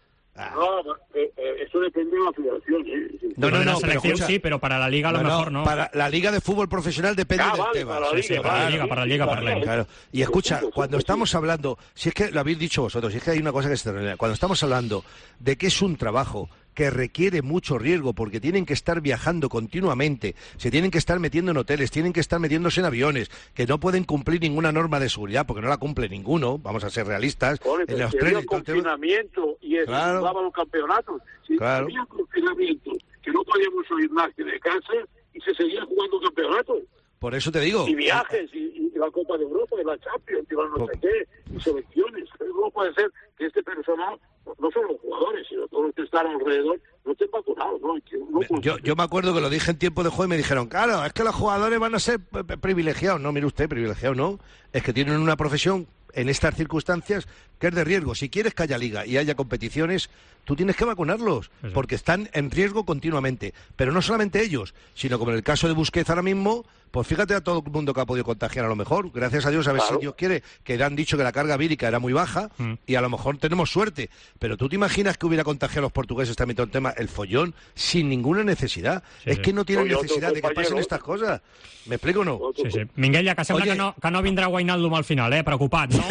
No, eh, eh, eso depende de la federación. ¿eh? No, no, Para la no, pero selección escucha. sí, pero para la Liga a lo No, no, mejor no. Para la Liga de Fútbol Profesional depende Ah, del vale, Tebas. para la Sí, Liga, sí, para la claro. Liga, para la Liga, para la Liga. Claro. Y escucha, cuando estamos hablando, si es que lo habéis dicho vosotros, si es que hay una cosa que se termina, cuando estamos hablando de que es un trabajo que requiere mucho riesgo porque tienen que estar viajando continuamente, se tienen que estar metiendo en hoteles, tienen que estar metiéndose en aviones, que no pueden cumplir ninguna norma de seguridad porque no la cumple ninguno, vamos a ser realistas, Joder, en pero los si trenes había y todo el tema. confinamiento y eso Claro. jugaba los campeonatos. Si Claro. había confinamiento, que no podíamos oír más que de casa y se seguía jugando campeonatos. Por eso te digo. Y viajes, y, y la Copa de Europa, y la Champions, y la no sé qué, y selecciones. Pero no puede ser que este personal, no solo los jugadores, sino todos los que están alrededor, no estén vacunados, ¿no? Y que no puede Yo, yo me acuerdo que lo dije en tiempo de juego y me dijeron, claro, es que los jugadores van a ser p- p- privilegiados. No, mire usted, privilegiados no. Es que tienen una profesión en estas circunstancias que es de riesgo. Si quieres que haya liga y haya competiciones, tú tienes que vacunarlos, Eso. porque están en riesgo continuamente. Pero no solamente ellos, sino como en el caso de Busquets ahora mismo, pues fíjate a todo el mundo que ha podido contagiar a lo mejor. Gracias a Dios, a ver Claro. si Dios quiere, que le han dicho que la carga vírica era muy baja Mm. y a lo mejor tenemos suerte. Pero tú te imaginas que hubiera contagiado a los portugueses también todo el tema, el follón, sin ninguna necesidad. Sí, es sí. que no tienen Oye, otro necesidad de que compañero. pasen estas cosas. ¿Me explico o no? Sí, sí. Minguella, que sembla Oye. que no, que no vindrà Wijnaldum al final, eh? Preocupat, no?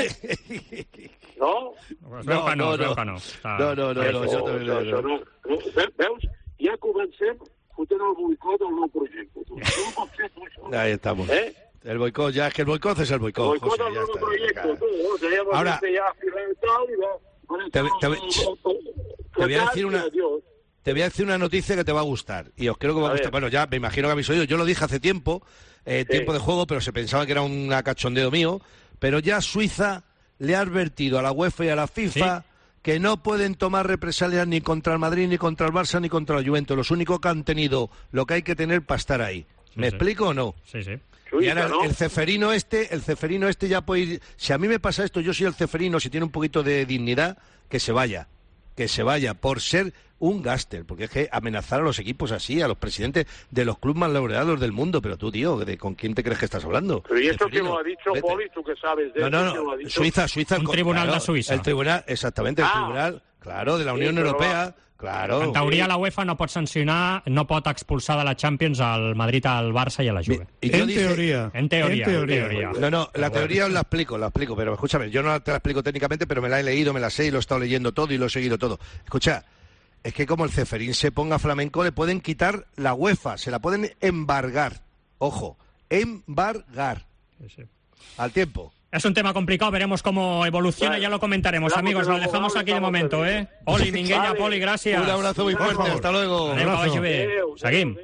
No? Es veu que no, es veu que no. Està- No, no, no, no, Eso, yo también lo eso veo. no. No, ve- Veus? I comencem fotent el boicot al nou projecte. Tu. No pot ser, tu, això. Ahí estamos. ¿Eh? El boicot, ya es que el boicot es el boicot. El boicot José, al ya nou está, projecte, ya. tu. O sea, hemos Ahora, ya tal y va. Te, te, te voy a decir una... Te voy a decir una noticia que te va a gustar. Y os creo que va a, a gustar. Bueno, ya me imagino que habéis oído. Yo lo dije hace tiempo, eh, sí. tiempo de juego, pero se pensaba que era un cachondeo mío. Pero ya Suiza le ha advertido a la UEFA y a la FIFA ¿Sí? que no pueden tomar represalias ni contra el Madrid, ni contra el Barça, ni contra el Juventus. Los únicos que han tenido lo que hay que tener para estar ahí. Sí, ¿Me sí. explico o no? Sí, sí. Y ahora el ceferino este, el ceferino este ya puede ir... Si a mí me pasa esto, yo soy el ceferino, si tiene un poquito de dignidad, que se vaya. Que se vaya, por ser un gáster, porque es que amenazar a los equipos así, a los presidentes de los clubes más laureados del mundo, pero tú, tío, ¿de ¿con quién te crees que estás hablando? Pero ¿y esto quién lo ha dicho, Vete. Poli? ¿Tú que sabes de no, eso? No, no, no. Suiza, Suiza... Un con, tribunal claro, de Suïssa. El tribunal, exactamente, el ah. tribunal, claro, de la Unión sí, Europea... Va. Claro. En teoria, sí. la UEFA no pot sancionar, no pot expulsar de la Champions al Madrid, al Barça i a la Juve. Y yo en, dije, teoría. en teoría. En teoría. En teoría. No, no, la teoría os la explico, la explico, pero escúchame, yo no te la explico técnicamente, pero me la he leído, me la sé y lo he estado leyendo todo y lo he seguido todo. Escucha, es que como el Ceferín se ponga flamenco, le pueden quitar la UEFA, se la pueden embargar. Ojo, embargar. Sí, sí. Al tiempo. Es un tema complicado, veremos cómo evoluciona, vale. ya lo comentaremos, claro, amigos, lo dejamos aquí de momento, ¿eh? Poli, Minguella, vale. Poli, gràcies. Un abrazo muy fuerte, hasta luego. Adéu, que vagi bé. Seguim.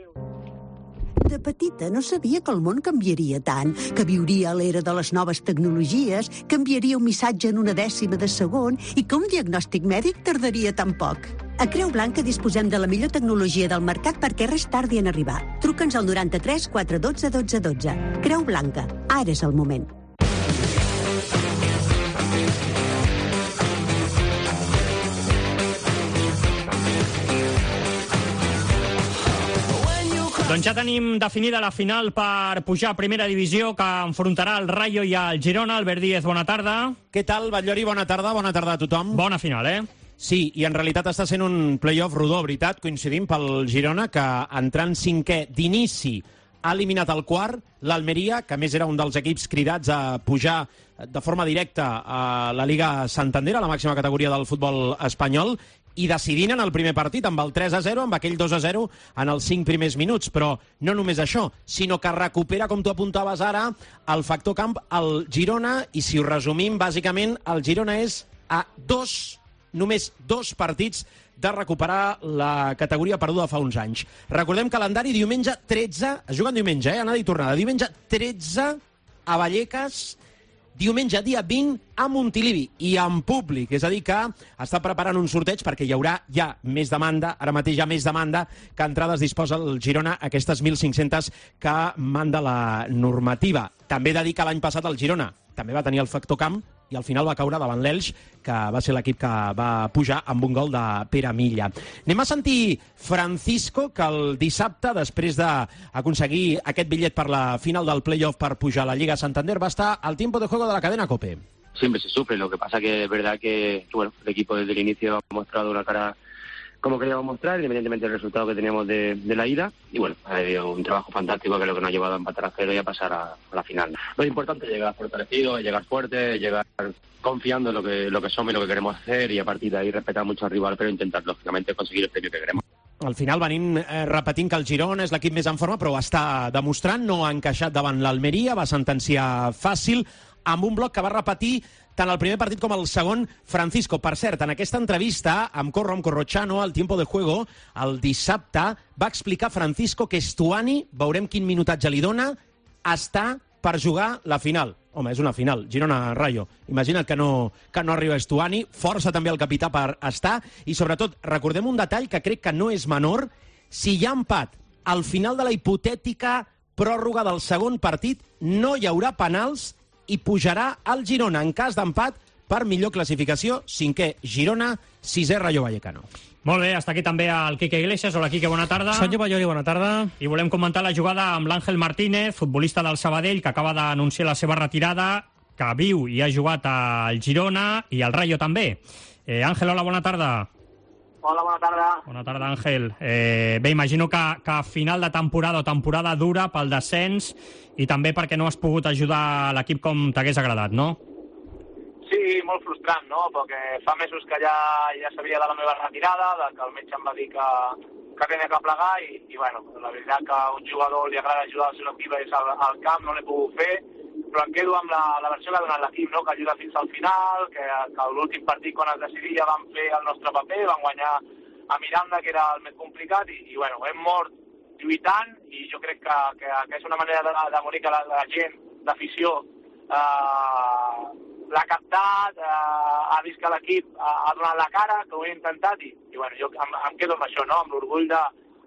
De petita no sabia que el món canviaria tant, que viuria a l'era de les noves tecnologies, que enviaria un missatge en una dècima de segon i que un diagnòstic mèdic tardaria tan poc. A Creu Blanca disposem de la millor tecnologia del mercat perquè res tardi en arribar. Truca'ns al noranta-tres quatre dotze dotze dotze. Creu Blanca, ara és el moment. Doncs ja tenim definida la final per pujar a primera divisió, que enfrontarà el Rayo i el Girona. Albert Díez, bona tarda. Què tal, Batllori? Bona tarda, bona tarda a tothom. Bona final, eh? Sí, i en realitat està sent un play-off rodó, veritat, coincidim pel Girona, que entrant cinquè d'inici ha eliminat el quart, l'Almeria, que a més era un dels equips cridats a pujar de forma directa a la Liga Santander, a la màxima categoria del futbol espanyol, i decidint en el primer partit amb el tres a zero, amb aquell dos a zero en els cinc primers minuts. Però no només això, sinó que recupera, com tu apuntaves ara, el factor camp al Girona, i si ho resumim, bàsicament, el Girona és a dos, només dos partits de recuperar la categoria perduda fa uns anys. Recordem calendari, diumenge tretze, es juguen diumenge, eh? Anada i tornada. Diumenge tretze a Vallecas, diumenge dia vint a Montilivi i en públic, és a dir que està preparant un sorteig perquè hi haurà ja més demanda, ara mateix hi ha més demanda que entrades disposa el Girona, aquestes mil cinc-centes que manda la normativa. També he de dir que l'any passat el Girona també va tenir el factor camp i al final va caure davant l'Elx, que va ser l'equip que va pujar amb un gol de Pere Milla. Anem a sentir Francisco, que el dissabte, després d'aconseguir aquest bitllet per la final del play-off per pujar a la Lliga Santander, va estar al tiempo de juego de la cadena COPE. Siempre se sufre, lo que pasa que es verdad que bueno, el equipo desde el inicio ha mostrado una cara como queríamos mostrar, independientemente del resultado que teníamos de, de la ida, y bueno, ha habido un trabajo fantástico que es lo que nos ha llevado a empatar a cero y a pasar a, a la final. Lo importante es llegar fortalecido, es llegar fuerte, es llegar confiando en lo que, lo que somos y lo que queremos hacer, y a partir de ahí respetar mucho al rival, pero intentar, lógicamente, conseguir el premio que queremos. Al final venim eh, repetint que el Girona és l'equip més en forma, però ho està demostrant, no ha encaixat davant l'Almeria, va sentenciar fàcil, amb un bloc que va repetir tant el primer partit com el segon Francisco. Per cert, en aquesta entrevista amb Corro, amb Corrochano, al Tiempo de Juego, el dissabte, va explicar Francisco que Stuani, veurem quin minutatge li dona, està per jugar la final. Home, és una final, Girona-Rayo. Imagina't que no, que no arriba Stuani, força també el capità per estar, i sobretot recordem un detall que crec que no és menor: si hi ha empat al final de la hipotètica pròrroga del segon partit, no hi haurà penals i pujarà el Girona en cas d'empat per millor classificació. Cinquè Girona, sisè Rayo Vallecano. Molt bé, està aquí també el Quique Iglesias. Hola, Quique, bona tarda. Senyor Batllori, bona tarda. I volem comentar la jugada amb l'Àngel Martínez, futbolista del Sabadell, que acaba d'anunciar la seva retirada, que viu i ha jugat al Girona i al Rayo també. Eh, Àngel, hola, bona tarda. Hola, bona tarda. Bona tarda, Àngel. Eh, bé, imagino que, que a final de temporada o temporada dura pel descens, i també perquè no has pogut ajudar l'equip com t'hagués agradat, no? Sí, sí, molt frustrant, no? Perquè fa mesos que ja, ja sabia de la meva retirada, de que el metge em va dir que, que tenia que plegar i, i bueno, la veritat que a un jugador li agrada ajudar al seu equip és al, al camp, no l'he pogut fer, però em quedo amb la, la versió que ha donat l'equip, no? Que ajuda fins al final, que, que l'últim partit quan es decidia vam fer el nostre paper, vam guanyar a Miranda, que era el més complicat, i, i bueno, hem mort lluitant, i jo crec que, que, que és una manera de, de morir que la, la gent d'afició eh, l'ha captat, eh, ha vist que l'equip ha, ha donat la cara, que ho he intentat, i, i bueno, jo em, em quedo amb això, no? Amb l'orgull de,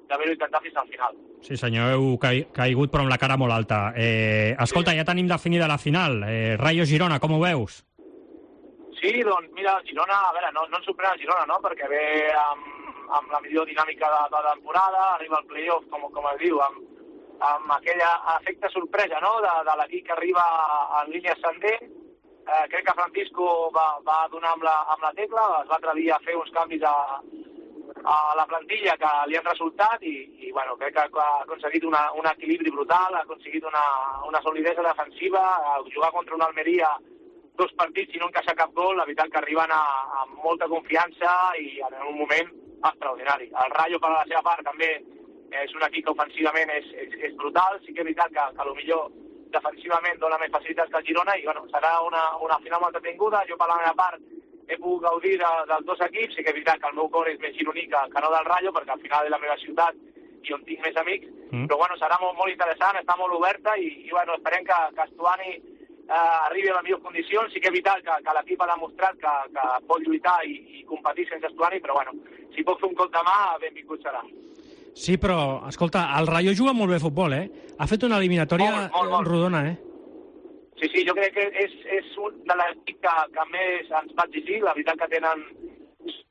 d'haver-ho intentat fins al final. Sí, senyor, heu ca- caigut però amb la cara molt alta. Eh, escolta, ja tenim definida la final. Eh, Rayo Girona, com ho veus? Sí, doncs mira, el Girona, a veure, no, no ens sorprèn el Girona, no? Perquè ve amb, amb la millor dinàmica de, de la temporada, arriba al playoff, com, com es diu, amb, amb aquell efecte sorpresa, no?, de, de l'equip que arriba en línia ascendent. Eh, crec que Francisco va, va donar amb la, amb la tecla, es va atrevir a fer uns canvis a, a la plantilla que li han resultat i, i bueno, crec que ha aconseguit una, un equilibri brutal, ha aconseguit una, una solidesa defensiva, a jugar contra una Almeria dos partits i no encaixar cap gol, la veritat que arriben a, a molta confiança i en un moment extraordinari. El Rayo, per la seva part, també és un equip que ofensivament és, és, és brutal, sí que és veritat que, que a lo millor defensivament dona més facilitats que el Girona i bueno, serà una, una final molt entretinguda. Jo per la meva part he pogut gaudir de, dels dos equips, sí que és veritat que el meu cor és més gironí que, que no del Rayo, perquè al final és la meva ciutat i on tinc més amics, mm. però bueno, serà molt, molt interessant, està molt oberta i, i bueno, esperem que, que Estuani eh, arribi a les millors condicions. Sí que és veritat que, que l'equip ha demostrat que, que pot lluitar i, i competir sense Estuani, però bueno, si pot fer un cop de mà, benvingut serà. Sí, però, escolta, el Rayo juga molt bé a futbol, eh? Ha fet una eliminatòria molt, molt, molt. rodona, eh? Sí, sí, jo crec que és, és un de l'equip que, que més ens va exigir. La veritat que tenen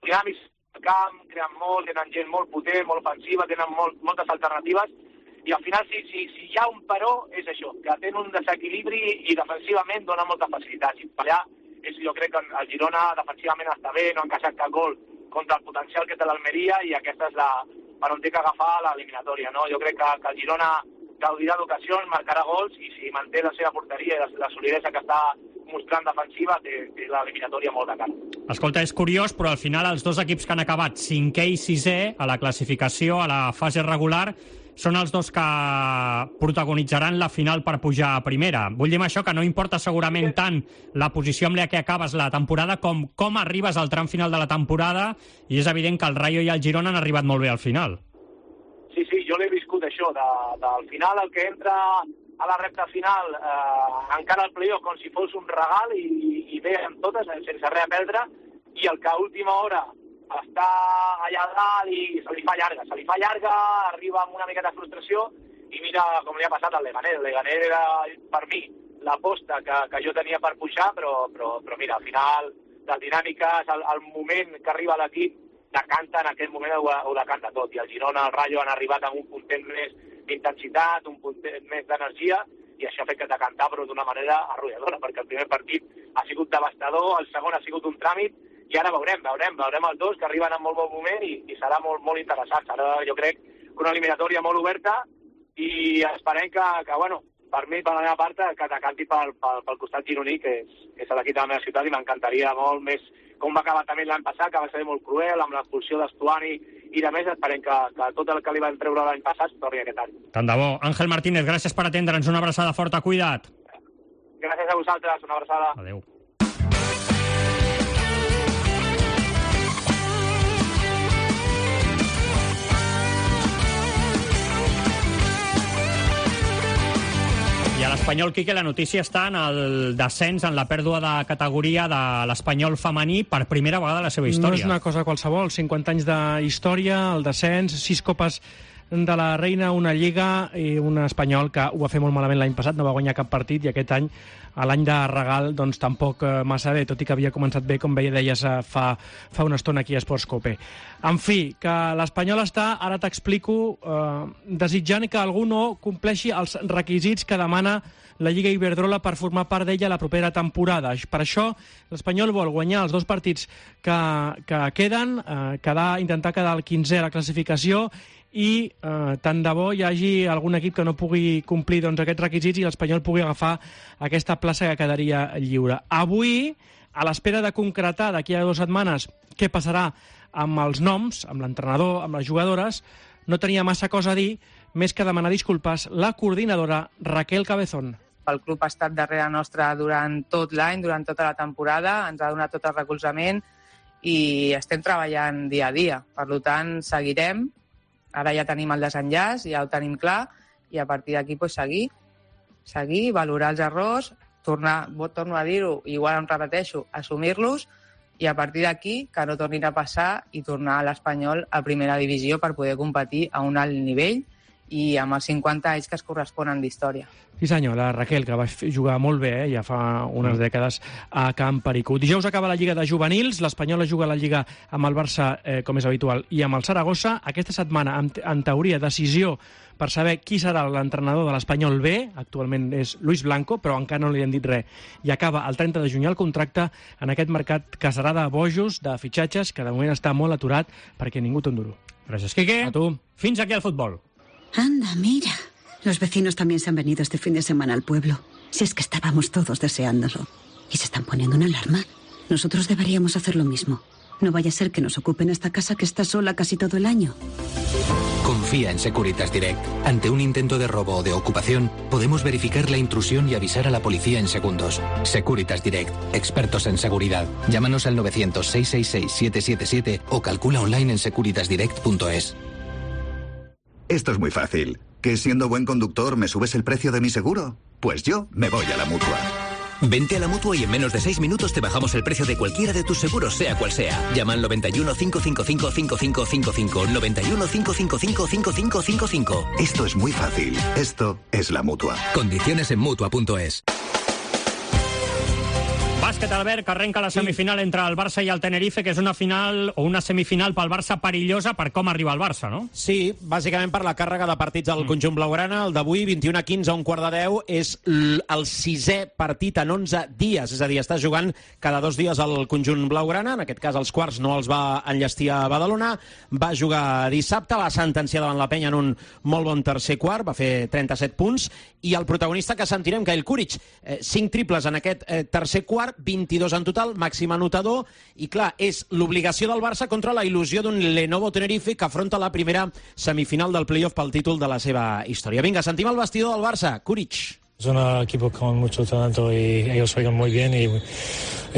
dinàmics al camp, creen molt, tenen gent molt potent, molt ofensiva, tenen molt, moltes alternatives, i al final, si, si, si hi ha un però, és això, que tenen un desequilibri i defensivament dona moltes facilitats. I per allà, és, jo crec que el Girona defensivament està bé, no ha encaixat cap gol contra el potencial que té l'Almeria, i aquesta és la per on té que agafar l'eliminatòria, no? Jo crec que, que el Girona gaudirà d'ocasions, marcarà gols, i si manté la seva porteria i la, la solidesa que està mostrant defensiva, té, té l'eliminatòria molt de cara. Escolta, és curiós, però al final els dos equips que han acabat cinquè i sisè a la classificació, a la fase regular, són els dos que protagonitzaran la final per pujar a primera. Vull dir amb això que no importa segurament tant la posició amb la que acabes la temporada com com arribes al tram final de la temporada, i és evident que el Rayo i el Girona han arribat molt bé al final. Sí, sí, jo l'he viscut això, de, del final el que entra a la recta final, eh, encara el playoff com si fos un regal i, i ve amb totes, sense res a perdre, i el que a última hora està allà dalt i se li fa llarga, se li fa llarga, arriba amb una miqueta de frustració i mira com li ha passat al Leganés. El Leganés era per mi l'aposta que, que jo tenia per pujar, però, però, però mira, al final les dinàmiques, el, el moment que arriba l'equip decanta, en aquell moment ho, ho decanta tot, i el Girona, el Rayo han arribat amb un puntet més d'intensitat, un puntet més d'energia, i això ha fet que decantar, però d'una manera arrolladora, perquè el primer partit ha sigut devastador, el segon ha sigut un tràmit, i ara veurem, veurem, veurem els dos que arriben en molt bon moment i, i serà molt, molt interessant. Serà, jo crec, una eliminatòria molt oberta i esperem que, que bueno, per mi, per la meva part, que decanti pel, pel, pel costat gironí, que és, que és l'equip de la meva ciutat, i m'encantaria molt més com va acabar també l'any passat, que va ser molt cruel, amb l'expulsió d'Estuani i de més. Esperem que, que tot el que li van treure l'any passat torni aquest any. Tant de bo. Àngel Martínez, gràcies per atendre'ns. Una abraçada forta, cuida't. Gràcies a vosaltres, una abraçada. Adéu. I a l'Espanyol, Quique, la notícia està en el descens, en la pèrdua de categoria de l'Espanyol femení per primera vegada a la seva història. No és una cosa qualsevol, cinquanta anys d'història, el descens, sis copes de la Reina, una Lliga i un Espanyol que ho va fer molt malament l'any passat, no va guanyar cap partit, i aquest any, a l'any de regal, doncs tampoc massa bé, tot i que havia començat bé, com veia, deies fa, fa una estona aquí a Esports Cope. En fi, que l'Espanyol està, ara t'explico, eh, desitjant que algú no compleixi els requisits que demana la Lliga Iberdrola per formar part d'ella la propera temporada. Per això, l'Espanyol vol guanyar els dos partits que, que queden, eh, quedar, intentar quedar el quinzè a la classificació, i eh, tant de bo hi hagi algun equip que no pugui complir doncs, aquests requisits i l'Espanyol pugui agafar aquesta plaça que quedaria lliure. Avui a l'espera de concretar d'aquí a dues setmanes què passarà amb els noms, amb l'entrenador, amb les jugadores, no tenia massa cosa a dir, més que demanar disculpes la coordinadora Raquel Cabezón. El club ha estat darrere nostre durant tot l'any, durant tota la temporada, ens ha donat tot el recolzament i estem treballant dia a dia. Per tant, seguirem. Ara ja tenim el desenllaç, ja ho tenim clar, i a partir d'aquí pues, seguir, seguir, valorar els errors, tornar, torno a dir-ho, igual em repeteixo, assumir-los, i a partir d'aquí que no tornin a passar i tornar a l'Espanyol a primera divisió per poder competir a un alt nivell i amb els cinquanta anys que es corresponen d'història. Sí senyor, la Raquel, que va jugar molt bé, eh, ja fa unes dècades a Camp Perico. Dijous acaba la Lliga de Juvenils, l'Espanyol juga la Lliga amb el Barça, eh, com és habitual, i amb el Saragossa. Aquesta setmana, en, en teoria, decisió per saber qui serà l'entrenador de l'Espanyol B, actualment és Luis Blanco, però encara no li han dit res. I acaba el trenta de juny el contracte en aquest mercat que serà de bojos, de fitxatges, que de moment està molt aturat perquè ningú té un duro. Gràcies, Quique. A tu. Fins aquí el futbol. Anda, mira. Los vecinos también se han venido este fin de semana al pueblo. Si es que estábamos todos deseándolo. ¿Y se están poniendo una alarma? Nosotros deberíamos hacer lo mismo. No vaya a ser que nos ocupen esta casa que está sola casi todo el año. Confía en Securitas Direct. Ante un intento de robo o de ocupación, podemos verificar la intrusión y avisar a la policía en segundos. Securitas Direct, expertos en seguridad. Llámanos al novecientos, seiscientos sesenta y seis, siete siete siete o calcula online en securitas direct punto es. Esto es muy fácil. ¿Que siendo buen conductor me subes el precio de mi seguro? Pues yo me voy a la Mutua. Vente a la Mutua y en menos de seis minutos te bajamos el precio de cualquiera de tus seguros, sea cual sea. Llama al noventa y uno, cinco cinco cinco, cinco cinco cinco cinco, noventa y uno, cinco cinco cinco, cinco cinco cinco cinco. Esto es muy fácil. Esto es la Mutua. Condiciones en Mutua punto es. Bàsquet, Albert, que arrenca la semifinal entre el Barça i el Tenerife, que és una final o una semifinal pel Barça perillosa per com arriba el Barça, no? Sí, bàsicament per la càrrega de partits del conjunt blaugrana. El d'avui, vint i una a quinze a un quart de deu, és el sisè partit en onze dies. És a dir, està jugant cada dos dies el conjunt blaugrana. En aquest cas, els quarts no els va enllestir a Badalona. Va jugar dissabte, va sentenciar davant la Penya en un molt bon tercer quart, va fer trenta-set punts, i el protagonista que sentirem, Kyle Kuric, eh, cinc triples en aquest eh, tercer quart, vint-i-dos en total, màxim anotador, i clar, és l'obligació del Barça contra la il·lusió d'un Lenovo Tenerife que afronta la primera semifinal del playoff pel títol de la seva història. Vinga, sentim el vestidor del Barça, Kuric. Es un equipo con mucho talento y ellos juegan muy bien y,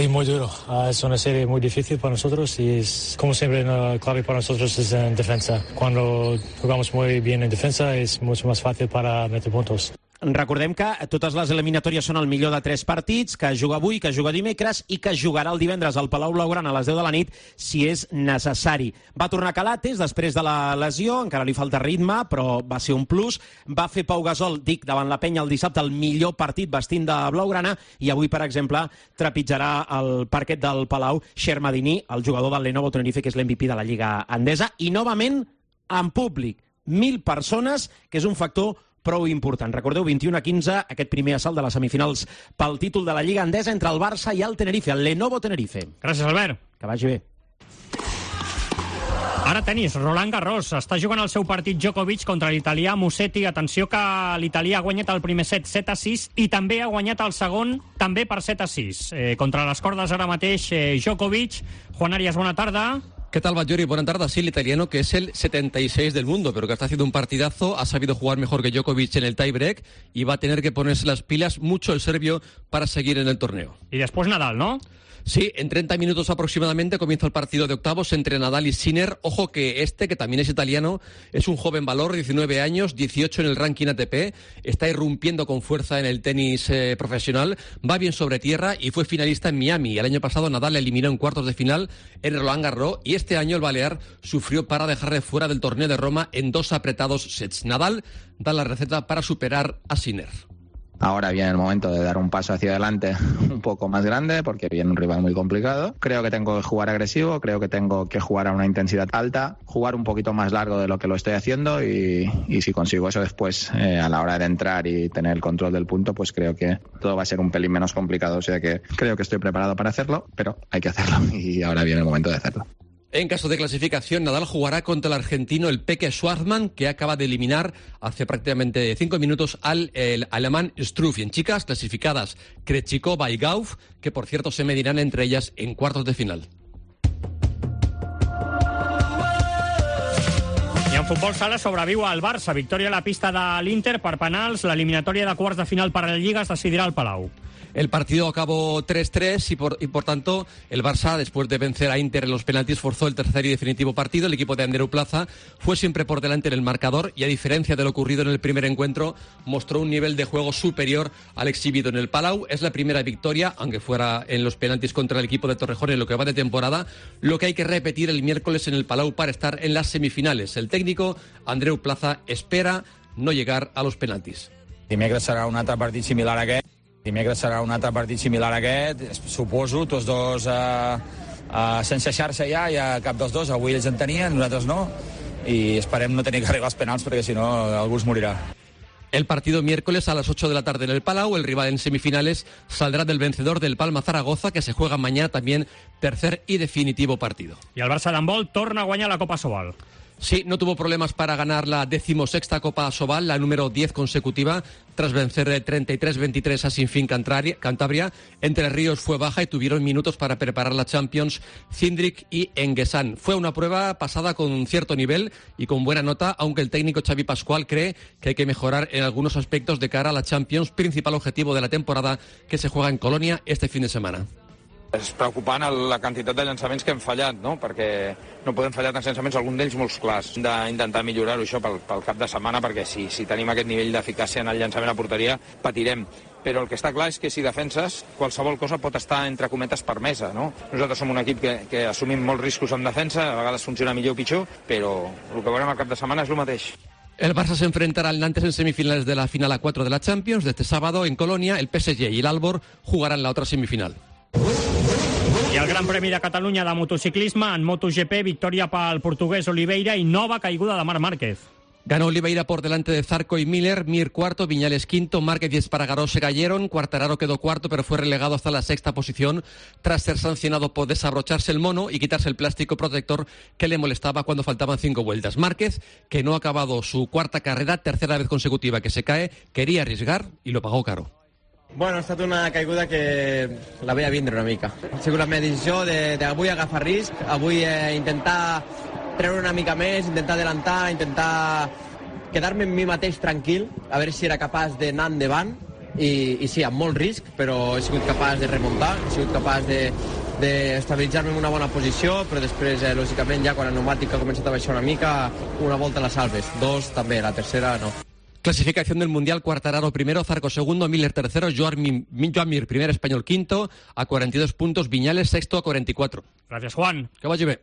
y muy duro. Uh, es una serie muy difícil para nosotros y es, como siempre la clave para nosotros es en defensa. Cuando jugamos muy bien en defensa es mucho más fácil para meter puntos. Recordem que totes les eliminatòries són el millor de tres partits, que juga avui, que juga dimecres i que jugarà el divendres al Palau Blaugrana a les deu de la nit si és necessari. Va tornar Calates després de la lesió, encara li falta ritme, però va ser un plus. Va fer Pau Gasol, dic, davant la Penya el dissabte, el millor partit vestint de blaugrana, i avui, per exemple, trepitjarà el parquet del Palau Shermadini, el jugador del Lenovo Tenerife, que és l'M V P de la Lliga Endesa, i novament en públic. Mil persones, que és un factor prou important. Recordeu, vint i una a quinze, aquest primer assalt de les semifinals pel títol de la Lliga Endesa entre el Barça i el Tenerife, el Lenovo Tenerife. Gràcies, Albert. Que vagi bé. Ara tenis, Roland Garros. Està jugant el seu partit Djokovic contra l'italià Musetti. Atenció que l'italià ha guanyat el primer set set a sis i també ha guanyat el segon també per set a sis. Eh, contra les cordes ara mateix eh, Djokovic. Juan Arias, bona tarda. ¿Qué tal, Batllori? Buenas tardes. Sí, el italiano, que es el setenta y seis del mundo, pero que está haciendo un partidazo, ha sabido jugar mejor que Djokovic en el tiebreak y va a tener que ponerse las pilas mucho el serbio para seguir en el torneo. Y después Nadal, ¿no? Sí, en treinta minutos aproximadamente comienza el partido de octavos entre Nadal y Sinner. Ojo que este, que también es italiano, es un joven valor, diecinueve años, dieciocho en el ranking A T P, está irrumpiendo con fuerza en el tenis eh, profesional, va bien sobre tierra y fue finalista en Miami. El año pasado Nadal le eliminó en cuartos de final en Roland Garros y este año el balear sufrió para dejarle fuera del torneo de Roma en dos apretados sets. Nadal da la receta para superar a Sinner. Ahora viene el momento de dar un paso hacia adelante un poco más grande porque viene un rival muy complicado. Creo que tengo que jugar agresivo, creo que tengo que jugar a una intensidad alta, jugar un poquito más largo de lo que lo estoy haciendo y, y si consigo eso después eh, a la hora de entrar y tener el control del punto, pues creo que todo va a ser un pelín menos complicado. O sea que creo que estoy preparado para hacerlo, pero hay que hacerlo y ahora viene el momento de hacerlo. En caso de clasificación, Nadal jugará contra el argentino el Peque Schwarzman, que acaba de eliminar hace prácticamente cinco minutos al el alemán Struff. Y en chicas, clasificadas Krejcikova y Gauff, que por cierto se medirán entre ellas en cuartos de final. I en futbol sala sobreviu el Barça. Victòria a la pista de l'Inter per penals. L'eliminatòria de quarts de final per la Lliga es decidirà al Palau. El partido acabó tres tres y por, y por tanto el Barça, después de vencer a Inter en los penaltis, forzó el tercer y definitivo partido. El equipo de Andreu Plaza fue siempre por delante en el marcador y, a diferencia de lo ocurrido en el primer encuentro, mostró un nivel de juego superior al exhibido en el Palau. Es la primera victoria, aunque fuera en los penaltis, contra el equipo de Torrejón en lo que va de temporada, lo que hay que repetir el miércoles en el Palau para estar en las semifinales. El técnico Andreu Plaza espera no llegar a los penaltis. Dimecres serà un altre partit similar a aquest. Dimecres serà un altre partit similar a aquest. Suposo, tots dos eh, eh, sense xarxa ja, ja cap dels dos. Avui ells en tenien, nosaltres no. I esperem no tenir que arribar als penals perquè si no algú es morirà. El partido miércoles a las ocho de la tarde en el Palau. El rival en semifinales saldrá del vencedor del Palma Zaragoza, que se juega mañana también tercer y definitivo partido. I el Barça d'handbol torna a guanyar la Copa Sobal. Sí, no tuvo problemas para ganar la decimosexta Copa Sobal, la número diez consecutiva, tras vencer treinta y tres veintitrés a Sinfín Cantabria. Entre Ríos fue baja y tuvieron minutos para preparar la Champions Cindric y Enguesan. Fue una prueba pasada con cierto nivel y con buena nota, aunque el técnico Xavi Pascual cree que hay que mejorar en algunos aspectos de cara a la Champions, principal objetivo de la temporada, que se juega en Colonia este fin de semana. És preocupant la quantitat de llançaments que hem fallat, no? Perquè no podem fallar tants llançaments, algun d'ells molts clars. Hem d'intentar millorar-ho això pel, pel cap de setmana, perquè si, si tenim aquest nivell d'eficàcia en el llançament a porteria, patirem. Però el que està clar és que si defenses, qualsevol cosa pot estar, entre cometes, permesa, no? Nosaltres som un equip que, que assumim molts riscos en defensa, a vegades funciona millor o pitjor, però el que veurem al cap de setmana és el mateix. El Barça se enfrentará al Nantes en semifinales de la final a cuatro de la Champions. De este sábado en Colonia, el P S G y el Albor jugarán la otra semifinal. I el Gran Premi de Catalunya de motociclisme en MotoGP, victòria pel portuguès Oliveira i nova caiguda de Marc Márquez. Ganó Oliveira por delante de Zarco y Miller, Mir cuarto, Viñales quinto, Márquez y Espargaró se cayeron, Quartararo quedó cuarto pero fue relegado hasta la sexta posición tras ser sancionado por desabrocharse el mono y quitarse el plástico protector que le molestaba cuando faltaban cinco vueltas. Márquez, que no ha acabado su cuarta carrera, tercera vez consecutiva que se cae, quería arriesgar y lo pagó caro. Bueno, ha estat una caiguda que la veia vindre una mica. Ha sigut la meva decisió d'avui agafar risc, avui eh, intentar treure una mica més, intentar adelantar, intentar quedar-me en mi mateix tranquil, a veure si era capaç d'anar endavant, i, i sí, amb molt risc, però he sigut capaç de remuntar, he sigut capaç de, d'estabilitzar-me en una bona posició, però després, eh, lògicament, ja quan el pneumàtic ha començat a baixar una mica, una volta a les salves, dos també, la tercera no. Clasificación del Mundial: Quartararo primero, Zarco segundo, Miller tercero, Joan Mir primer, español quinto, a cuarenta y dos puntos, Viñales sexto a cuarenta y cuatro. Gracias, Juan. Que vagi bé.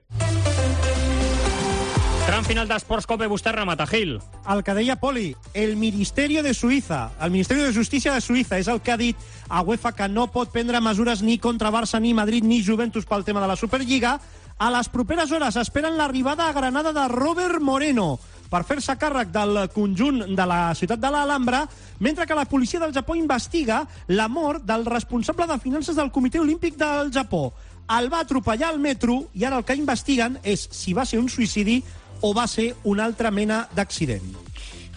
Tram final d'Esports Cope, vostè remata, Gil. El que deia Poli, el Ministerio de Suïssa, el Ministerio de Justícia de Suïssa és el que ha dit a UEFA que no pot prendre mesures ni contra Barça, ni Madrid, ni Juventus pel tema de la Superliga. A les properes hores esperen l'arribada a Granada de Robert Moreno per fer-se càrrec del conjunt de la ciutat de l'Alhambra, mentre que la policia del Japó investiga la mort del responsable de finances del Comitè Olímpic del Japó. El va atropellar al metro i ara el que investiguen és si va ser un suïcidi o va ser una altra mena d'accident.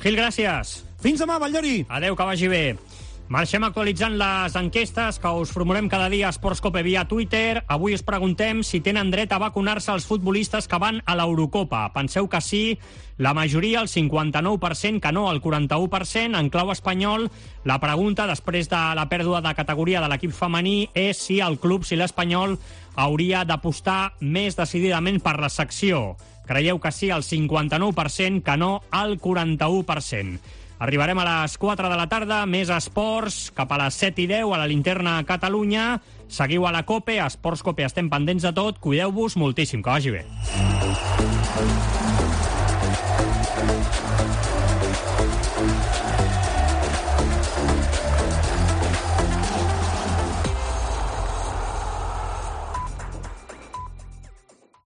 Gil, gràcies. Fins demà, Valldori. Adéu, que vagi bé. Marxem actualitzant les enquestes que us formulem cada dia a Esports Cope via Twitter. Avui us preguntem si tenen dret a vacunar-se els futbolistes que van a l'Eurocopa. Penseu que sí, la majoria, el cinquanta-nou per cent, que no, el quaranta-u per cent. En clau espanyol, la pregunta, després de la pèrdua de categoria de l'equip femení, és si el club, si l'Espanyol, hauria d'apostar més decididament per la secció. Creieu que sí, el cinquanta-nou per cent, que no, el quaranta-u per cent. Arribarem a les quatre de la tarda, més esports, cap a les set i deu a la Linterna Catalunya. Seguiu a la COPE, a Esports Cope estem pendents de tot. Cuideu-vos moltíssim, que vagi bé.